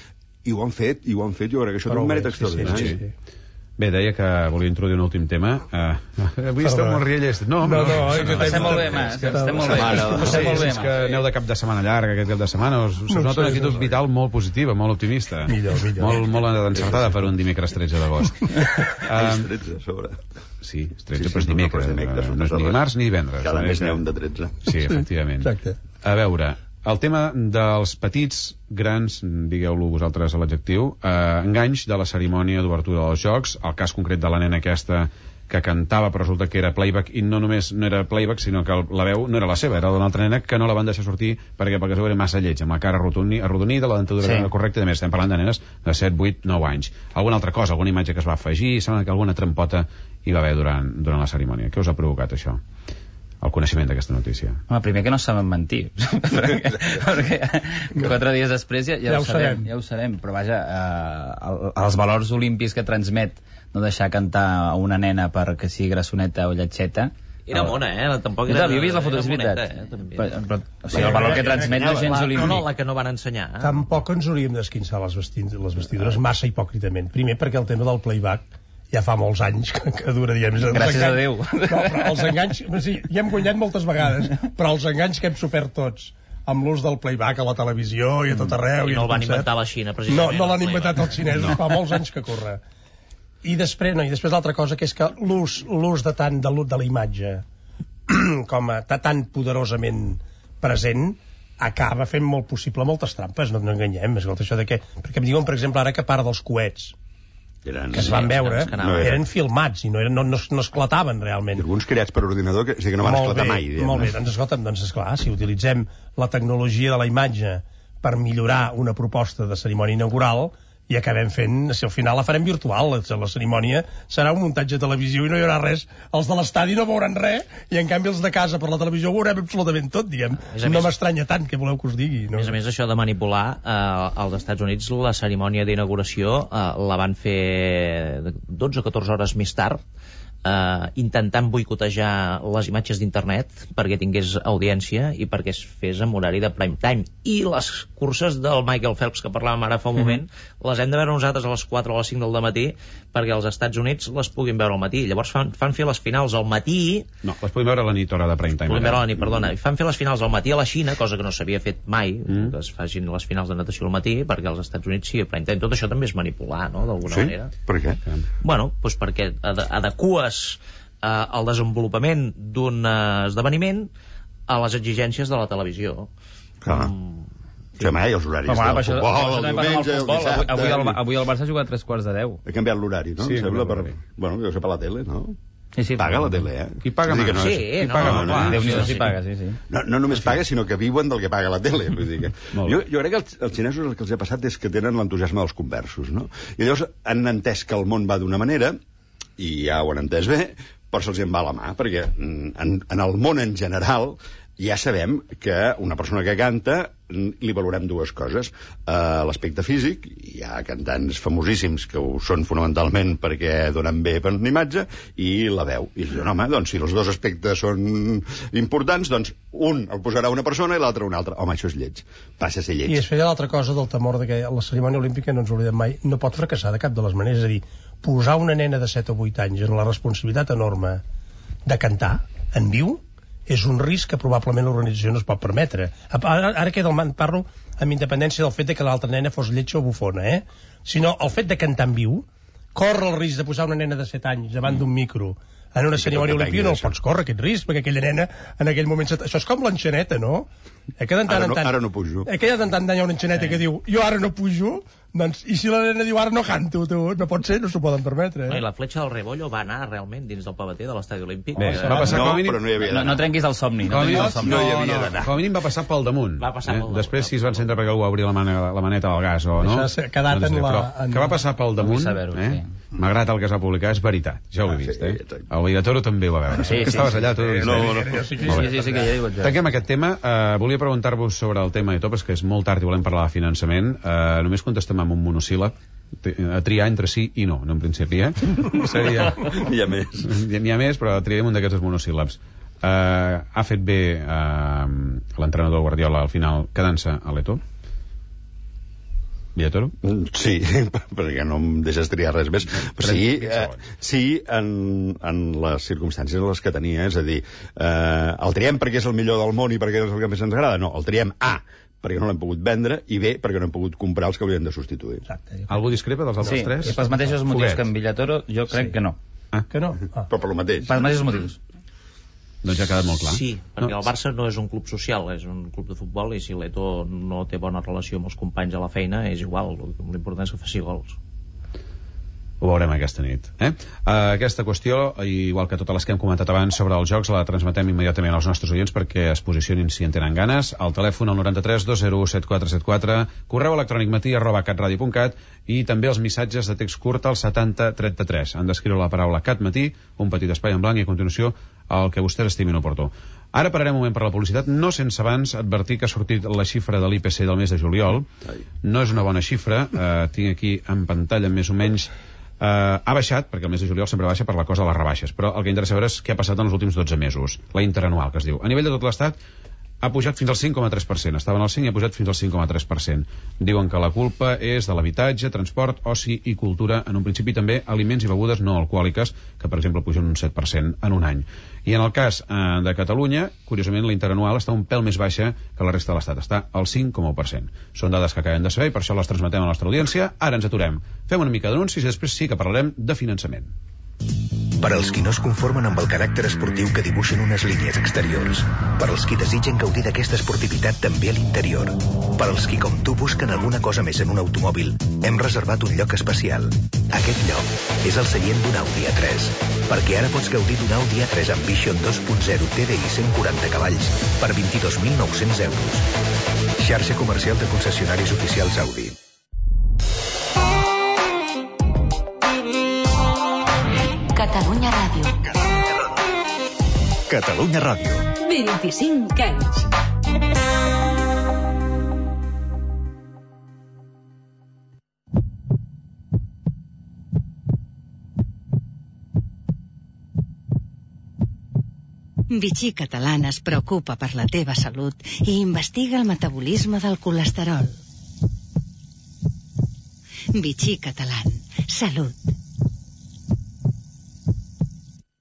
Speaker 3: I ho han fet, i ho han fet, jo crec que això té un mèrit extraordinari. Sí, sí, sí.
Speaker 2: Bé, deia que volia introduir un últim tema. Uh, avui estem molt riallers. No,
Speaker 4: no, no,
Speaker 6: no estem molt bé, Mas. Estem molt bé.
Speaker 2: Estem molt bé. És que aneu de cap de setmana llarga, aquest cap de setmana. Us, us nota una actitud vital molt positiva, molt optimista.
Speaker 4: Millor, millor.
Speaker 2: Molt, molt encertada per un dimecres tretze d'agost.
Speaker 3: És tretze, a sobre.
Speaker 2: Sí, és tretze, però és dimecres. No és ni dimarts ni divendres.
Speaker 3: Cada mes n'hi ha un de tretze.
Speaker 2: Sí, efectivament. A veure... El tema dels petits, grans, digueu-lo vosaltres a l'adjectiu, eh, enganys de la cerimònia d'obertura dels Jocs, el cas concret de la nena aquesta que cantava, però resulta que era playback, i no només no era playback, sinó que la veu no era la seva, era d'una altra nena que no la van deixar sortir perquè perquè era massa lleig, amb la cara arrodonida, la dentadura sí. correcta, i a més estem parlant de nenes de set, vuit, nou anys. Alguna altra cosa, alguna imatge que es va afegir, sembla que alguna trampota hi va haver durant, durant la cerimònia. Què us ha provocat això? El coneixement d'aquesta notícia.
Speaker 6: Home, primer que no saben mentir perquè, perquè quatre dies després ja, ja, ja ho sabem, sabem ja ho sabem, però vaja, eh, el, els valors olímpics que transmet no deixar cantar a una nena perquè sigui grassoneta o lletxeta
Speaker 5: Era mona, eh? Tampoc
Speaker 6: Jo
Speaker 5: era...
Speaker 6: havia vist la foto, és veritat.
Speaker 5: Moneta, eh? També.
Speaker 6: Però, però, o sigui, el valor que transmet no és gens
Speaker 5: La, no,
Speaker 6: olímpic.
Speaker 5: no, la que no van ensenyar. Eh?
Speaker 4: Tampoc ens hauríem d'esquinçar les, vestid les vestidures massa hipòcritament. Primer perquè el tema del playback ja fa molts anys que, que dura, diguem.
Speaker 6: Gràcies a Déu.
Speaker 4: No, però els enganys, sí, ja hem guanyat moltes vegades, però els enganys que hem sofert tots amb l'ús del playback a la televisió i a tot arreu.
Speaker 5: I no el van inventar a la Xina, precisament.
Speaker 4: No, no l'han inventat els xinesos, no. Fa molts anys que corre. I després, no, i després l'altra cosa, que és que l'ús l'ús de tant de, de la imatge com a tan poderosament present acaba fent molt possible moltes trampes, no, no enganyem, escolta, això de què? Perquè em diuen, per exemple, ara que part dels coets
Speaker 3: eren,
Speaker 4: que es van veure
Speaker 5: que
Speaker 3: no
Speaker 4: eren, eren filmats i no, eren, no, no, no esclataven realment.
Speaker 3: alguns creats per ordinador que, o sigui, que no van
Speaker 4: molt
Speaker 3: esclatar
Speaker 4: bé,
Speaker 3: mai, diguem.
Speaker 4: molt bé, doncs escolta'm, doncs esclar, si utilitzem la tecnologia de la imatge per millorar una proposta de cerimònia inaugural i acabem fent, si al final la farem virtual, la, la cerimònia serà un muntatge de televisió i no hi haurà res, els de l'estadi no veuran res i en canvi els de casa per la televisió ho veurem absolutament tot, diguem, no m'estranya tant que voleu que us digui, no?
Speaker 5: A més a més, això de manipular eh, als Estats Units la cerimònia d'inauguració eh, la van fer dotze o catorze hores més tard, eh, intentant boicotejar les imatges d'internet perquè tingués audiència i perquè es fes en horari de prime time. I les curses del Michael Phelps que parlàvem ara fa un moment, mm-hmm. les hem de veure nosaltres a les quatre o a les cinc del matí perquè als Estats Units les puguin veure al matí. Llavors fan, fan fer les finals al matí...
Speaker 2: No, les podem veure a la nit, hora de prime time.
Speaker 5: Podem veure a la nit, perdona. I fan fer les finals al matí a la Xina, cosa que no s'havia fet mai, mm. que es facin les finals de natació al matí, perquè als Estats Units sí, a prime time. Tot això també és manipular, no?, d'alguna
Speaker 3: sí?
Speaker 5: manera.
Speaker 3: Per què?
Speaker 5: Bueno, doncs perquè ad adeques eh, el desenvolupament d'un eh, esdeveniment a les exigències de la televisió.
Speaker 3: Clar.
Speaker 5: Mm.
Speaker 3: Sí, mai, els horaris
Speaker 6: Però,
Speaker 3: del
Speaker 6: això,
Speaker 3: futbol,
Speaker 6: això
Speaker 3: el
Speaker 6: també passa amb
Speaker 3: diumenge,
Speaker 6: el
Speaker 3: el
Speaker 6: futbol.
Speaker 3: dissabte...
Speaker 6: Avui, avui, el, avui el Barça ha jugat a tres quarts de deu.
Speaker 3: Ha canviat l'horari, no?
Speaker 2: Sí,
Speaker 3: Sembla per...
Speaker 2: l'horari.
Speaker 3: Bueno, deu ser per la tele, no?
Speaker 6: Sí, sí,
Speaker 3: paga
Speaker 6: però...
Speaker 3: la tele, eh?
Speaker 2: Qui paga
Speaker 3: Vull dir que
Speaker 2: més?
Speaker 3: no
Speaker 5: Sí,
Speaker 3: és...
Speaker 5: no,
Speaker 2: paga
Speaker 5: no,
Speaker 2: més?
Speaker 5: no,
Speaker 6: Déu-n'hi-do
Speaker 5: sí,
Speaker 6: si
Speaker 5: sí.
Speaker 6: paga, sí, sí.
Speaker 3: No, no només paga, sinó que viuen del que paga la tele. Vull dir que...
Speaker 2: Molt
Speaker 3: jo,
Speaker 2: bé.
Speaker 3: jo crec que els, els xinesos el que els ha passat és que tenen l'entusiasme dels conversos, no? I llavors han entès que el món va d'una manera, i ja ho han entès bé, però se'ls en va la mà, perquè en, en el món en general ja sabem que una persona que canta li valorem dues coses. Uh, l'aspecte físic, hi ha cantants famosíssims que ho són fonamentalment perquè donen bé per una imatge, i la veu. I diuen, home, doncs si els dos aspectes són importants, doncs un el posarà una persona i l'altre una altra. Home, això és lleig. Passa a ser lleig.
Speaker 4: I es feia l'altra cosa del temor de que la cerimònia olímpica, no ens oblidem mai, no pot fracassar de cap de les maneres. És a dir, posar una nena de set o vuit anys en la responsabilitat enorme de cantar en viu és un risc que probablement l'organització no es pot permetre. Ara, ara que del man parlo amb independència del fet de que l'altra nena fos lletja o bufona, eh? Sinó el fet de cantar en viu, corre el risc de posar una nena de set anys davant d'un micro en una
Speaker 3: I
Speaker 4: cerimònia
Speaker 3: tot
Speaker 4: olímpica, no el
Speaker 3: depengui
Speaker 4: pots córrer aquest risc, perquè aquella nena en aquell moment... Això és com l'enxaneta, no? Eh, que de tant
Speaker 3: Ara
Speaker 4: en
Speaker 3: no-
Speaker 4: tant,
Speaker 3: ara no pujo.
Speaker 4: Eh, que de tant en tant hi ha una enxaneta que diu jo ara no pujo, doncs, i si la nena diu ara no canto, tu, no pot ser, no s'ho poden permetre.
Speaker 5: No,
Speaker 4: Eh?
Speaker 5: I la fletxa del Rebollo va anar realment dins del pavater de l'estadi olímpic.
Speaker 2: Bé,
Speaker 5: Eh,
Speaker 2: va passar
Speaker 3: no,
Speaker 2: com a mínim...
Speaker 3: però no hi havia
Speaker 6: No,
Speaker 3: d'anar.
Speaker 6: no trenquis el somni.
Speaker 2: Com a
Speaker 6: No,
Speaker 2: mínim,
Speaker 6: trenquis el somni.
Speaker 3: no hi
Speaker 2: no,
Speaker 3: havia
Speaker 2: no,
Speaker 3: d'anar.
Speaker 2: com a mínim va passar pel damunt.
Speaker 5: Va passar
Speaker 2: eh?
Speaker 5: pel damunt.
Speaker 2: Després, si es van centrar perquè algú va obrir la, mana, la maneta del gas o no...
Speaker 4: Això s'ha quedat
Speaker 2: no sé,
Speaker 4: en la-
Speaker 2: però
Speaker 4: en-
Speaker 2: que va passar pel damunt,
Speaker 6: Vull saber-ho,
Speaker 2: eh?
Speaker 6: sí.
Speaker 2: Malgrat el que es va publicar, és veritat. Ja ho he
Speaker 3: Ah,
Speaker 2: vist,
Speaker 3: sí,
Speaker 2: eh?
Speaker 3: sí.
Speaker 2: El Villatoro també ho va veure.
Speaker 6: Sí,
Speaker 2: que
Speaker 6: sí,
Speaker 2: estaves
Speaker 6: sí,
Speaker 2: allà,
Speaker 6: sí.
Speaker 2: tu...
Speaker 3: No, no, no.
Speaker 4: Sí,
Speaker 6: Sí, sí, sí, que ja hi vaig.
Speaker 2: Tanquem aquest tema. Uh, volia preguntar-vos sobre el tema de topes, que és molt tard i volem parlar de finançament. Uh, només contestem amb un monosíl·lab, a triar entre sí i no, no en principi, eh? Seria...
Speaker 3: Hi ha més.
Speaker 2: N'hi ha més, però triem un d'aquests monosíl·labs. Uh, ha fet bé uh, l'entrenador Guardiola al final quedant-se a l'Eto? Villatoro?
Speaker 3: Sí, perquè no em deixes triar res més. Però sí, eh, sí en, en les circumstàncies en les que tenia, és a dir, eh, el triem perquè és el millor del món i perquè és el que més ens agrada? No, el triem A, perquè no l'hem pogut vendre, i B, perquè no hem pogut comprar els que haurien de substituir.
Speaker 4: Exacte.
Speaker 2: Algú discrepa dels altres
Speaker 6: Sí,
Speaker 2: tres?
Speaker 6: i pels mateixos motius
Speaker 2: Foguet.
Speaker 6: que en Villatoro, jo crec
Speaker 4: Sí.
Speaker 6: que no.
Speaker 4: Que no? Ah.
Speaker 3: Però per lo mateix.
Speaker 6: Pels mateixos motius.
Speaker 2: Doncs ja ha quedat molt clar.
Speaker 5: Sí, perquè
Speaker 2: No?
Speaker 5: el Barça no és un club social, és un club de futbol, i si l'Eto no té bona relació amb els companys a la feina, és igual, l'important és que faci gols.
Speaker 2: Ho veurem aquesta nit. Eh? Uh, aquesta qüestió, igual que totes les que hem comentat abans sobre els jocs, la transmetem immediatament als nostres oients perquè es posicionin si en tenen ganes. Al telèfon al noranta-tres dos zero u set quatre set quatre, correu electrònic matí arroba catradio punt cat, i també els missatges de text curt al setanta trenta-tres. Han d'escriure la paraula catmatí, un petit espai en blanc, i a continuació el que vostès estimin oportú. Ara pararem un moment per la publicitat, no sense abans advertir que ha sortit la xifra de l'I P C del mes de juliol. No és una bona xifra, eh, tinc aquí en pantalla més o menys Uh, ha baixat, perquè el mes de juliol sempre baixa per la cosa de les rebaixes, però el que interessa veure és què ha passat en els últims dotze mesos, la interanual que es diu. A nivell de tot l'estat ha pujat fins al cinc coma tres per cent, estaven al cinc i ha pujat fins al cinc coma tres per cent. Diuen que la culpa és de l'habitatge, transport, oci i cultura, en un principi també aliments i begudes no alcohòliques, que per exemple pugen un set per cent en un any. I en el cas eh, de Catalunya, curiosament la interanual està un pèl més baixa que la resta de l'estat, està al cinc coma u per cent. Són dades que acabem de saber i per això les transmetem a la nostra audiència. Ara ens aturem, fem una mica d'anuncis i després sí que parlarem de finançament.
Speaker 7: Per als qui no es conformen amb el caràcter esportiu que dibuixen unes línies exteriors. Per als qui desitgen gaudir d'aquesta esportivitat també a l'interior. Per als qui, com tu, busquen alguna cosa més en un automòbil, hem reservat un lloc especial. Aquest lloc és el seient d'un Audi A tres, perquè ara pots gaudir d'un Audi A tres amb Vision dos punt zero T D I cent quaranta cavalls per vint-i-dos mil nou-cents euros. Xarxa comercial de concessionaris oficials Audi.
Speaker 8: Catalunya Ràdio.
Speaker 7: Catalunya Ràdio.
Speaker 8: vint-i-cinc anys. Vichy Catalana es preocupa per la teva salut i investiga el metabolisme del colesterol. Vichy Catalan. Salut.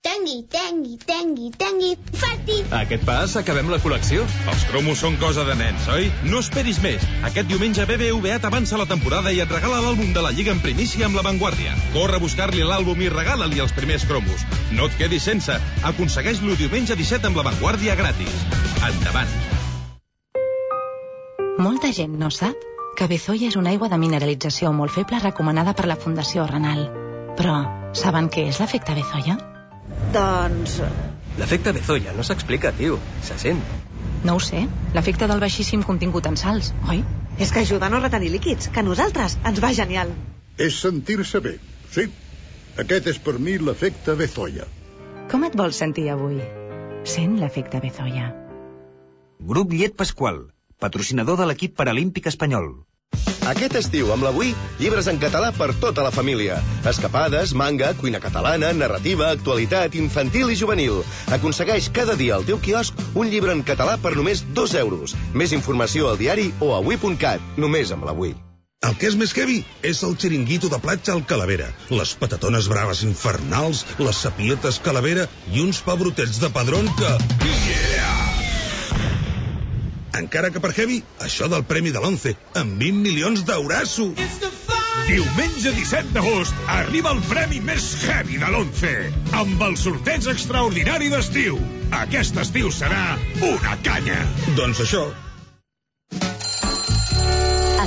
Speaker 9: Tengui, tengui, tengui, tengui, fati!
Speaker 10: A aquest pas acabem la col·lecció.
Speaker 11: Els cromos són cosa de nens, oi? No esperis més. Aquest diumenge B B V A t'avança la temporada i et regala l'àlbum de la Lliga en primícia amb La Vanguardia. Corre a buscar-li l'àlbum i regala-li els primers cromos. No et quedis sense. Aconsegueix-lo diumenge disset amb La Vanguardia gratis. Endavant.
Speaker 8: Molta gent no sap que Bezoya és una aigua de mineralització molt feble recomanada per la Fundació Renal. Però saben què és l'efecte Bezoya?
Speaker 12: Doncs... L'efecte Bezoya no s'explica, tio. Se sent.
Speaker 8: No ho sé. L'efecte del baixíssim contingut en sals, oi?
Speaker 12: És que ajuda a no retenir líquids, que a nosaltres ens va genial.
Speaker 13: És sentir-se bé, sí. Aquest és per mi l'efecte Bezoya.
Speaker 8: Com et vols sentir avui? Sent l'efecte Bezoya.
Speaker 14: Grup Llet Pasqual, patrocinador de l'equip paralímpic espanyol.
Speaker 15: Aquest estiu, amb l'Avui, llibres en català per tota la família. Escapades, manga, cuina catalana, narrativa, actualitat, infantil i juvenil. Aconsegueix cada dia al teu quiosc un llibre en català per només dos euros. Més informació al diari o a avui punt cat, només amb l'Avui.
Speaker 16: El que és més heavy és el xiringuito de platja al Calavera. Les patatones braves infernals, les sapietes Calavera i uns pebrotets de padrón que... Yeah! Encara que per heavy, això del premi de l'Once, amb vint milions d'eurasso.
Speaker 17: Diumenge disset d'agost arriba el premi més heavy de l'Once, amb el sorteig extraordinari d'estiu. Aquest estiu serà una canya.
Speaker 16: Doncs això.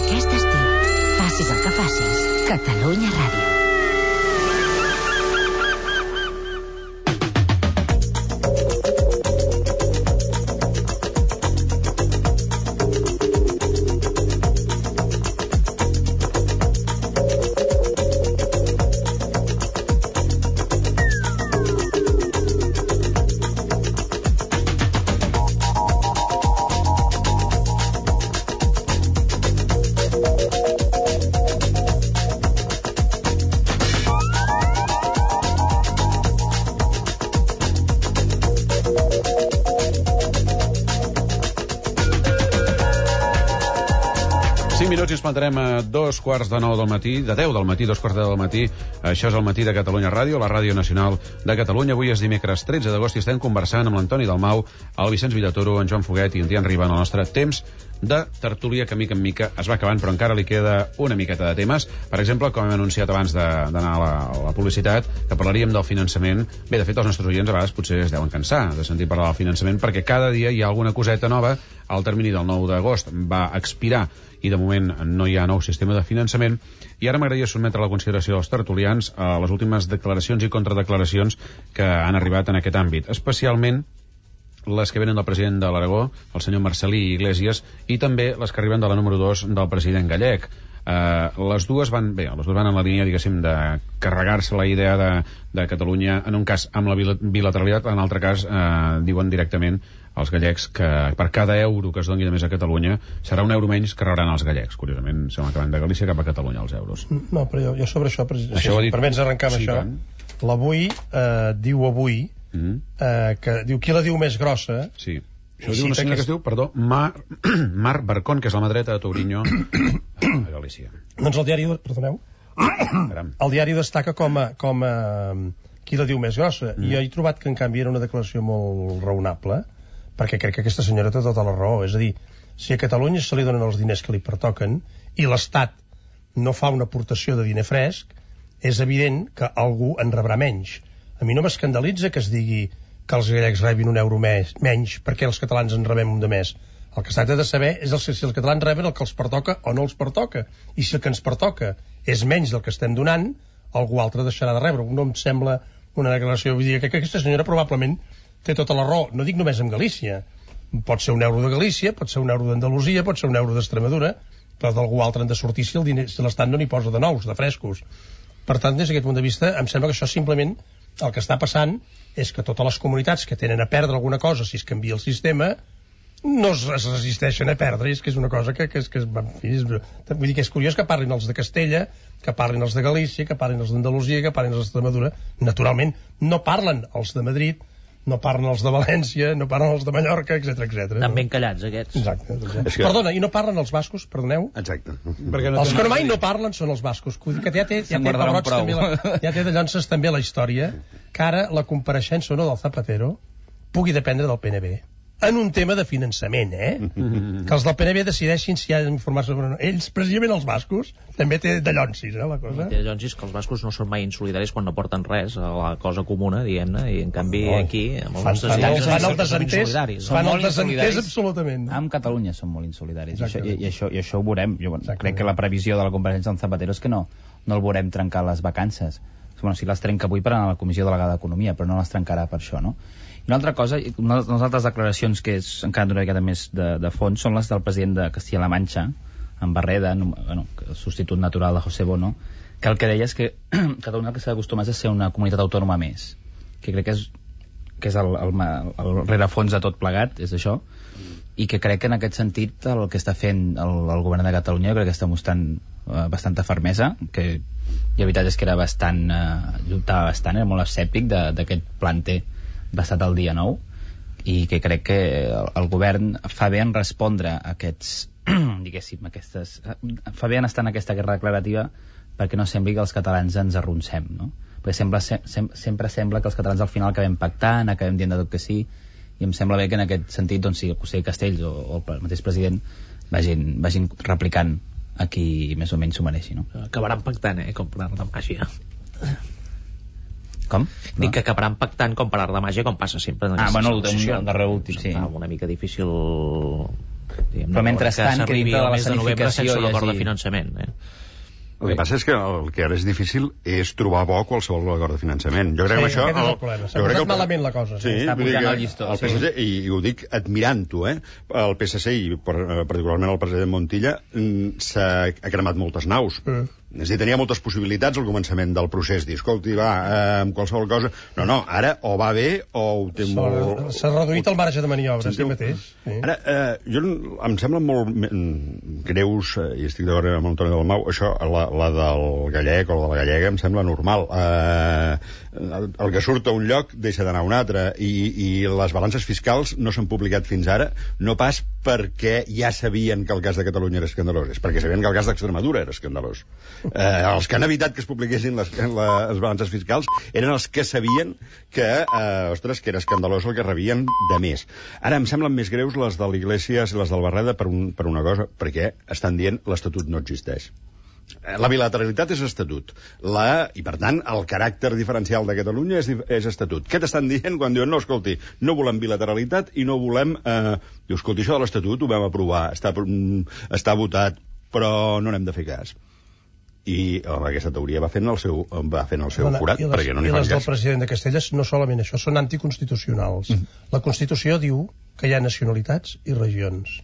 Speaker 8: Aquest estiu, facis el que facis, Catalunya Ràdio.
Speaker 2: Minuts i ens plantarem a dos quarts de nou del matí, de deu del matí, dos quarts de deu del matí. Això és el matí de Catalunya Ràdio, la ràdio nacional de Catalunya. Avui és dimecres tretze d'agost i estem conversant amb l'Antoni Dalmau, el Vicenç Villatoro, en Joan Foguet i en Tian Riba en el nostre temps de tertúlia que mica en mica es va acabant, però encara li queda una miqueta de temes. Per exemple, com hem anunciat abans d'anar a, la, a la publicitat, que parlaríem del finançament. Bé, de fet, els nostres oients a vegades potser es deuen cansar de sentir parlar del finançament perquè cada dia hi ha alguna coseta nova. El termini del nou d'agost va expirar i de moment no hi ha nou sistema de finançament, i ara m'agradaria sotmetre a la consideració dels tertulians a les últimes declaracions i contradeclaracions que han arribat en aquest àmbit, especialment les que venen del president de l'Aragó, el senyor Marcelí Iglesias, i també les que arriben de la número dos del president gallec. Uh, les dues van, bé, les dues van en la línia, diguéssim, de carregar-se la idea de, de Catalunya, en un cas amb la bilateralitat, en l'altre cas uh, diuen directament els gallecs que per cada euro que es doni de més a Catalunya serà un euro menys que rebran els gallecs. Curiosament, sembla que van de Galícia cap a Catalunya els euros.
Speaker 4: No, però jo, jo sobre això, per,
Speaker 2: això
Speaker 4: si
Speaker 2: dit...
Speaker 4: permets arrencar amb
Speaker 2: sí,
Speaker 4: això,
Speaker 2: tant.
Speaker 4: l'avui eh, diu avui mm-hmm. eh, que diu qui la diu més grossa.
Speaker 2: Sí. Això diu una senyora que es diu, perdó, Mar, Mar Barcón, que és la mà dreta de Touriño a Galícia.
Speaker 4: Doncs el diari, perdoneu, el diari destaca com a, com a qui la diu més grossa, mm. i jo he trobat que en canvi era una declaració molt raonable, perquè crec que aquesta senyora té tota la raó. És a dir, si a Catalunya se li donen els diners que li pertoquen i l'Estat no fa una aportació de diner fresc, és evident que algú en rebrà menys. A mi no m'escandalitza que es digui que els gallecs rebin un euro més, menys perquè els catalans en rebem un de més. El que s'ha de saber és el, si els catalans reben el que els pertoca o no els pertoca. I si el que ens pertoca és menys del que estem donant, algú altre deixarà de rebre. No em sembla una declaració. Vull dir que aquesta senyora probablement té tota la raó. No dic només en Galícia. Pot ser un euro de Galícia, pot ser un euro d'Andalusia, pot ser un euro d'Extremadura, però d'algú altre han de sortir si el diner, si l'Estat no n'hi posa de nous, de frescos. Per tant, des d'aquest punt de vista, em sembla que això simplement el que està passant és que totes les comunitats que tenen a perdre alguna cosa si es canvia el sistema no es, es resisteixen a perdre, és que és una cosa que, que, és, que és, en fi, és, vull dir que és curiós que parlin els de Castella, que parlin els de Galícia, que parlin els d'Andalusia, que parlin els d'Extremadura. Naturalment no parlen els de Madrid, no parlen els de València, no parlen els de Mallorca, etcètera, etcètera.
Speaker 5: Estan ben callats, aquests.
Speaker 4: Exacte. exacte. Que... Perdona, i no parlen els bascos, perdoneu?
Speaker 3: Exacte.
Speaker 4: Perquè no els que mai no parlen són els bascos. Que ja té, ja té, Roig, també la, ja té de Llonses també la història que ara la compareixença o no del Zapatero pugui dependre del P N B. En un tema de finançament, eh? Que els del P N B decideixin si ha d'informar-se sobre... Ells, precisament els bascos, també té de llonsis, eh, la cosa.
Speaker 5: Té de llonsis que els bascos no són mai insolidaris quan no porten res a la cosa comuna, diguem-ne, i en canvi oh, aquí...
Speaker 4: Fan, fan, el, fan el desentès, fan el desentès absolutament. No?
Speaker 6: Amb Catalunya són molt insolidaris, i això, i, i, això, i això ho veurem. Jo crec que la previsió de la compareixença del Zapatero és que no, no el veurem trencar les vacances. Bueno, si les trenca avui per a la Comissió Delegada d'Economia, però no les trencarà per això, no? Una altra cosa, una de les altres declaracions que és encara una miqueta més de, de fons són les del president de Castilla-La Manxa, en Barreda, bueno, el substitut natural de José Bono, que el que deia és que Catalunya el que s'ha d'acostumar és a ser una comunitat autònoma més, que crec que és, que és el, el, el rerefons de tot plegat, és això, i que crec que en aquest sentit el que està fent el, el govern de Catalunya crec que està mostrant uh, bastanta fermesa, que la veritat és que era bastant, uh, lluitava bastant, era molt escèptic d'aquest planter basat al dia nou, i que crec que el, el govern fa bé en respondre a aquests diguéssim, aquestes fa bé en estar en aquesta guerra declarativa perquè no sembli que els catalans ens arronsem, no? Perquè sembla, sem, sempre sembla que els catalans al final acabem pactant, acabem dient de tot que sí, i em sembla bé que en aquest sentit doncs, si el conseller Castells o, o el mateix president vagin, vagin replicant a qui més o menys s'ho mereixi, no?
Speaker 5: Acabaran pactant, eh, com per art de màgia.
Speaker 6: Com?
Speaker 5: Dic que acabaran pactant com per art de màgia, com passa sempre en
Speaker 6: ah, bueno, el darrer últim, sí.
Speaker 5: Una mica difícil, diguem,
Speaker 6: però mentrestant que dintre de la
Speaker 5: escenificació sense l'acord de finançament, eh?
Speaker 3: El que passa és que el que ara és difícil és trobar bo qualsevol acord de finançament. Jo crec
Speaker 4: sí,
Speaker 3: que això...
Speaker 4: aquest és el problema. S'ha posat malament la cosa.
Speaker 3: Sí,
Speaker 6: està pujant el llistó.
Speaker 3: El P S C, sí. i, i ho dic admirant-ho, eh? El P S C i particularment el president Montilla s'ha cremat moltes naus. Mm. És a dir, tenia moltes possibilitats al començament del procés, dir, escolti, va, eh, amb qualsevol cosa... No, no, ara o va bé o ho té molt...
Speaker 4: S'ha reduït el marge de maniobra, sí mateix. Sí.
Speaker 3: Ara, eh, jo em sembla molt greus, eh, i estic d'acord amb Antoni Dalmau, això, la, la del gallec o la de la gallega em sembla normal. Eh, el, el que surt a un lloc deixa d'anar a un altre, i, i les balances fiscals no s'han publicat fins ara, no pas perquè ja sabien que el cas de Catalunya era escandalós, és perquè sabien que el cas d'Extremadura era escandalós. Eh, els que han evitat que es publiquessin les, les balances fiscals eren els que sabien que, eh, ostres, que era escandalós el que rebien de més. Ara em semblen més greus les de l'Iglesias i les del Barreda per, un, per una cosa, perquè estan dient l'Estatut no existeix. La bilateralitat és estatut, la, i per tant el caràcter diferencial de Catalunya és, és estatut. Què t'estan dient quan diuen no, escolti, no volem bilateralitat i no volem... Eh... Diu, escolti, això de l'Estatut ho vam aprovar, està, està votat, però no n'hem de fer cas. I home, aquesta teoria va fent el seu, va fent el seu forat,
Speaker 4: les,
Speaker 3: perquè no n'hi
Speaker 4: fan
Speaker 3: cas.
Speaker 4: I les del president de Castelles no solament això, són anticonstitucionals. Mm. La Constitució diu que hi ha nacionalitats i regions.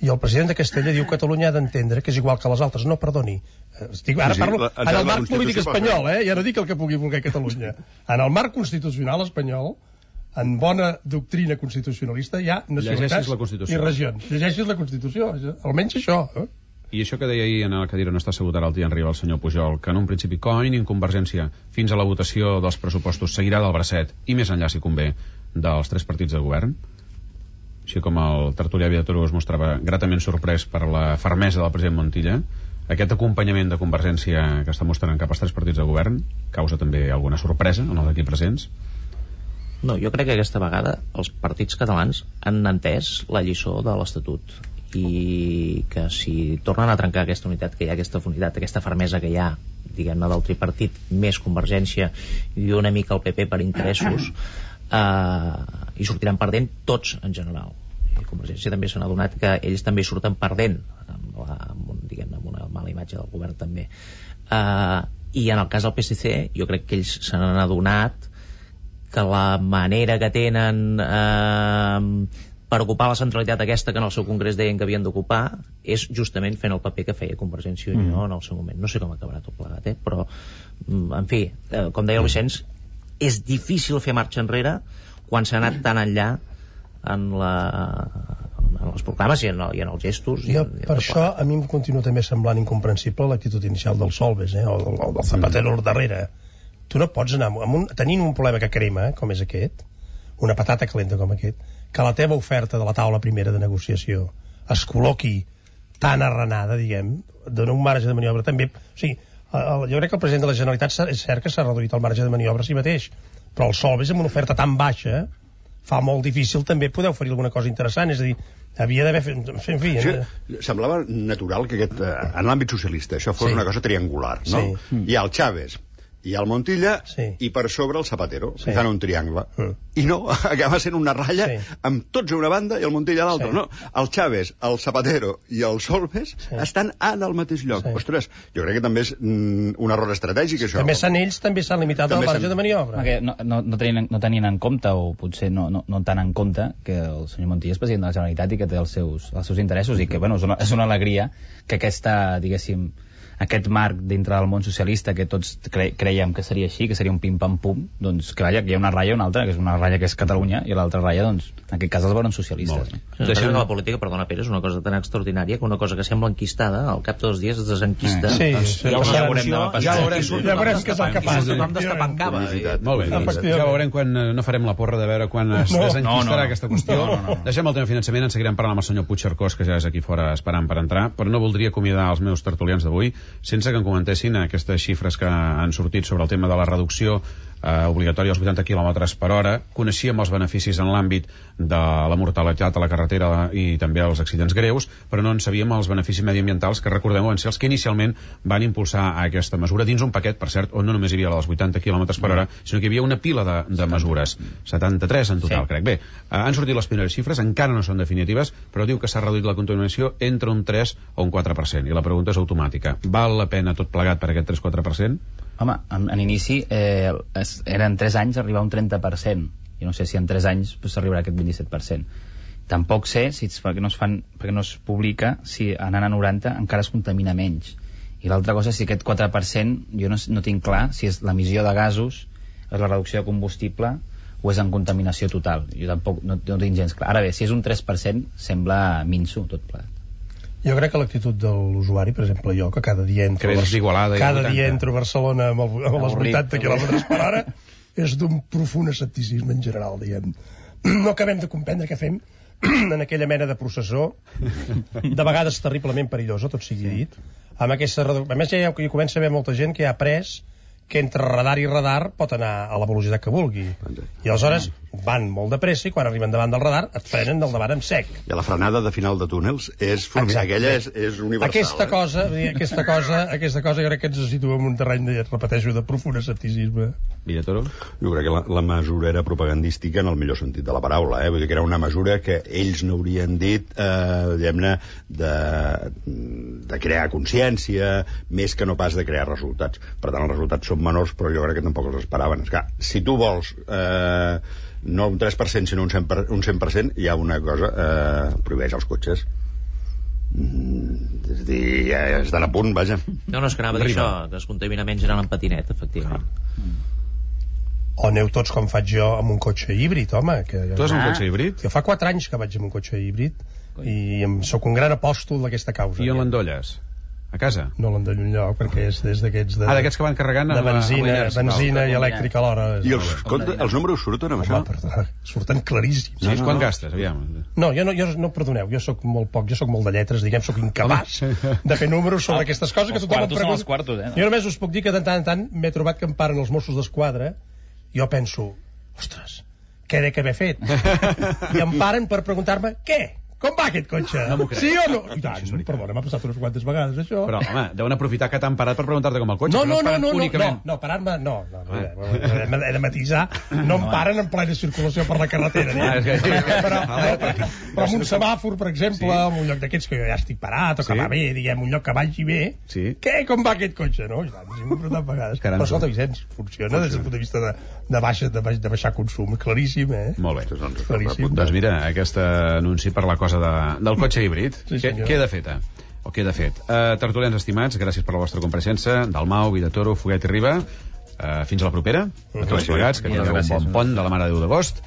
Speaker 4: i el president de Castella diu que Catalunya ha d'entendre que és igual que les altres. No, perdoni. Estic, ara
Speaker 3: sí, sí,
Speaker 4: parlo
Speaker 3: la,
Speaker 4: en el
Speaker 3: la
Speaker 4: marc polític espanyol, eh? Ja no dic el que pugui voler Catalunya. En el marc constitucional espanyol, en bona doctrina constitucionalista, hi ha nacionalitats i regions. Llegeixis la Constitució, almenys això. Eh?
Speaker 2: I això que deia ahir en el cadira on està assegut ara el dia Riba el senyor Pujol, que en un principi com a mínim Convergència fins a la votació dels pressupostos seguirà del bracet, i més enllà si convé, dels tres partits de govern, així com el tertulià Villatoro es mostrava gratament sorprès per la fermesa del president Montilla, aquest acompanyament de Convergència que està mostrant cap als tres partits de govern causa també alguna sorpresa en els aquí presents?
Speaker 5: No, jo crec que aquesta vegada els partits catalans han entès la lliçó de l'Estatut, i que si tornen a trencar aquesta unitat que hi ha, aquesta unitat, aquesta fermesa que hi ha, diguem-ne, del tripartit més Convergència i una mica el P P per interessos, eh, i sortiran perdent tots en general. I Convergència també s'ha adonat que ells també surten perdent amb, la, amb, un, diguem-ne, amb una mala imatge del govern també. Eh, i en el cas del P S C jo crec que ells se n'han adonat que la manera que tenen eh, per ocupar la centralitat aquesta que en el seu congrés deien que havien d'ocupar és justament fent el paper que feia Convergència i Unió mm. en el seu moment. No sé com acabarà tot plegat, eh? Però en fi, eh, com deia el Vicenç, és difícil fer marxa enrere quan s'ha anat tan enllà en, la, en les proclames i en, el, i en els gestos.
Speaker 4: Jo,
Speaker 5: i,
Speaker 4: per això a mi em continua també semblant incomprensible l'actitud inicial del Solbes, eh? o del, del Zapatero mm. darrere. Tu no pots anar amb un, tenint un problema que crema, com és aquest, una patata calenta com aquest, que la teva oferta de la taula primera de negociació es col·loqui tan arrenada, diguem, dona un marge de maniobra també. O sigui, el, jo crec que el president de la Generalitat és cert que s'ha reduït el marge de maniobra a si mateix, però el Solbes amb una oferta tan baixa fa molt difícil també poder oferir alguna cosa interessant, és a dir, havia d'haver fet... En fi,
Speaker 3: sí, eh? Semblava natural que aquest, en l'àmbit socialista això fos sí. una cosa triangular, no? Sí. Hi ha el Chávez, hi ha el Montilla sí. i per sobre el Zapatero, sí. fan un triangle. Mm. I no, acaba sent una ratlla sí. amb tots a una banda i el Montilla a l'altra. Sí. No, el Chávez, el Zapatero i el Solbes sí. estan en el mateix lloc. Sí. Ostres, jo crec que també és mm, un error estratègic, això.
Speaker 4: També s'han ells, també s'han limitat al marge de maniobra.
Speaker 6: No, no, no, tenien, no tenien en compte, o potser no, no, no tant en compte, que el senyor Montilla és president de la Generalitat i que té els seus, els seus interessos i que, bueno, és una, és una alegria que aquesta, diguéssim, aquest marc dintre del món socialista que tots cre creiem que seria així, que seria un pim-pam-pum, doncs que vaja, que hi ha una ratlla i una altra, que és una ratlla que és Catalunya i l'altra ratlla, doncs, en aquest cas els veuen socialistes. No?
Speaker 5: Sí, Deixem... La política, perdona Pere, és una cosa tan extraordinària que una cosa que sembla enquistada, al cap de dos dies es desenquista.
Speaker 4: Sí, sí, sí.
Speaker 5: Ja, ja veurem demà passat.
Speaker 4: Ja veurem, ja veurem què és el que passa.
Speaker 5: Tothom destapant cava.
Speaker 2: Molt bé, ja veurem quan no farem la porra de veure quan es no, desenquistarà no, no. aquesta qüestió. No, no, no. Deixem el tema finançament, en seguirem parlant amb el senyor Puigcercós, que ja és aquí fora esperant per entrar, però no voldria acomiadar els meus tertulians d'avui sense que em comentessin aquestes xifres que han sortit sobre el tema de la reducció eh, obligatòria als vuitanta quilòmetres per hora. Coneixíem els beneficis en l'àmbit de la mortalitat a la carretera i també els accidents greus, però no en sabíem els beneficis mediambientals que, recordem, van ser els que inicialment van impulsar aquesta mesura dins un paquet, per cert, on no només hi havia la dels vuitanta quilòmetres per hora, sinó que hi havia una pila de, de mesures, setanta-tres en total, sí. crec. Bé, eh, han sortit les primeres xifres, encara no són definitives, però diu que s'ha reduït la contaminació entre un tres o un quatre per cent, i la pregunta és automàtica. Val la pena tot plegat per aquest tres quatre per cent?
Speaker 6: Home, en, en inici eh, es, eren tres anys arribar a un trenta per cent, i no sé si en tres anys s'arribarà pues, a aquest vint-i-set per cent. Tampoc sé, si, perquè, no es fan, perquè no es publica, si anant a noranta encara es contamina menys. I l'altra cosa, si aquest quatre per cent, jo no, no tinc clar si és l'emissió de gasos, és la reducció de combustible, o és en contaminació total. Jo tampoc no, no tinc gens clar. Ara bé, si és un tres per cent, sembla minso tot plegat.
Speaker 4: Jo crec que l'actitud de l'usuari, per exemple jo, que cada dia entro, cada dia entro a Barcelona amb, el, amb les vuitanta quilòmetres per hora, és d'un profund escepticisme en general, diguem. No acabem de comprendre què fem en aquella mena de processó, de vegades terriblement perillosa, tot sigui dit, amb aquesta redu... A més, ja hi comença a haver molta gent que ha après que entre radar i radar pot anar a la velocitat que vulgui. I aleshores van molt de pressa i quan arriben davant del radar et frenen del davant en sec.
Speaker 3: I la frenada de final de túnels és fulminant, aquella és, és universal.
Speaker 4: Aquesta
Speaker 3: eh?
Speaker 4: cosa, aquesta cosa, aquesta cosa jo crec que ens situa en un terreny, de, repeteixo, de profund escepticisme.
Speaker 2: Villatoro?
Speaker 3: Jo crec que la, la mesura era propagandística en el millor sentit de la paraula, eh? Vull dir que era una mesura que ells no haurien dit, eh, diguem-ne, de, de crear consciència, més que no pas de crear resultats. Per tant, els resultats són menors, però jo crec que tampoc els esperaven. És que, si tu vols eh, no un tres per cent sinó un cent per cent, un cent per cent, hi ha una cosa, eh, prohibeix els cotxes. Mm, és a dir, ja estan a punt, vaja.
Speaker 5: No, no, és que anava a dir això, que es contamina menys anant en patinet, efectivament.
Speaker 4: O aneu tots com faig jo amb un cotxe híbrid, home. Que jo...
Speaker 2: Tu has un cotxe híbrid?
Speaker 4: Jo fa quatre anys que vaig amb un cotxe híbrid i em sóc un gran apòstol d'aquesta causa.
Speaker 2: I on l'endolles? A casa?
Speaker 4: No l'endollo enlloc, perquè és des d'aquests... De,
Speaker 2: ah, d'aquests que van carregant
Speaker 4: de benzina, amb benzina i elèctrica alhora.
Speaker 3: I els, compte, els números surten amb això?
Speaker 4: Perdona, surten claríssims.
Speaker 2: Sí, no, no, quan no. gastes, aviam?
Speaker 4: No, jo no, jo no, perdoneu, jo sóc molt poc, jo sóc molt de lletres, diguem, sóc incapaç de fer números sobre aquestes coses que tothom em pregunta.
Speaker 6: Quartos, eh, no?
Speaker 4: Jo només us puc dir que de tant en tant m'he trobat que em paren els Mossos d'Esquadra, jo penso, ostres, què he d'haver fet? I em paren per preguntar-me, què? Com va aquest cotxe?
Speaker 2: No
Speaker 4: sí o no? I tant, perdona, m'ha passat unes quantes vegades, això.
Speaker 2: Però, home, deuen aprofitar que t'han parat per preguntar-te com el cotxe.
Speaker 4: No, no, no, no,
Speaker 2: únicament...
Speaker 4: no, no, parar-me, no, no, no, no, no, he de matisar, no em paren en plena circulació per la carretera, ah, és que... però, però, però en un semàfor, per exemple, sí. En un lloc d'aquests que jo ja estic parat, o que sí. Va bé, diguem, un lloc que vagi bé, sí. Què, com va aquest cotxe, no? Ja, sí, m'he preguntat vegades. Però escolta, Vicenç, funciona des del punt de vista de, de, baixa, de, baix, de baixar consum, claríssim, eh?
Speaker 2: Molt bé.
Speaker 4: Claríssim.
Speaker 2: Doncs mira, aquest anunci per la cosa de, del cotxe híbrid, sí, què, queda feta o queda fet. Uh, tertulians estimats, gràcies per la vostra compareixença. Dalmau, Vidatoro, Foguet i Riba, uh, fins a la propera, a tots plegats, que tingueu un bon pont de la Mare de Déu d'agost.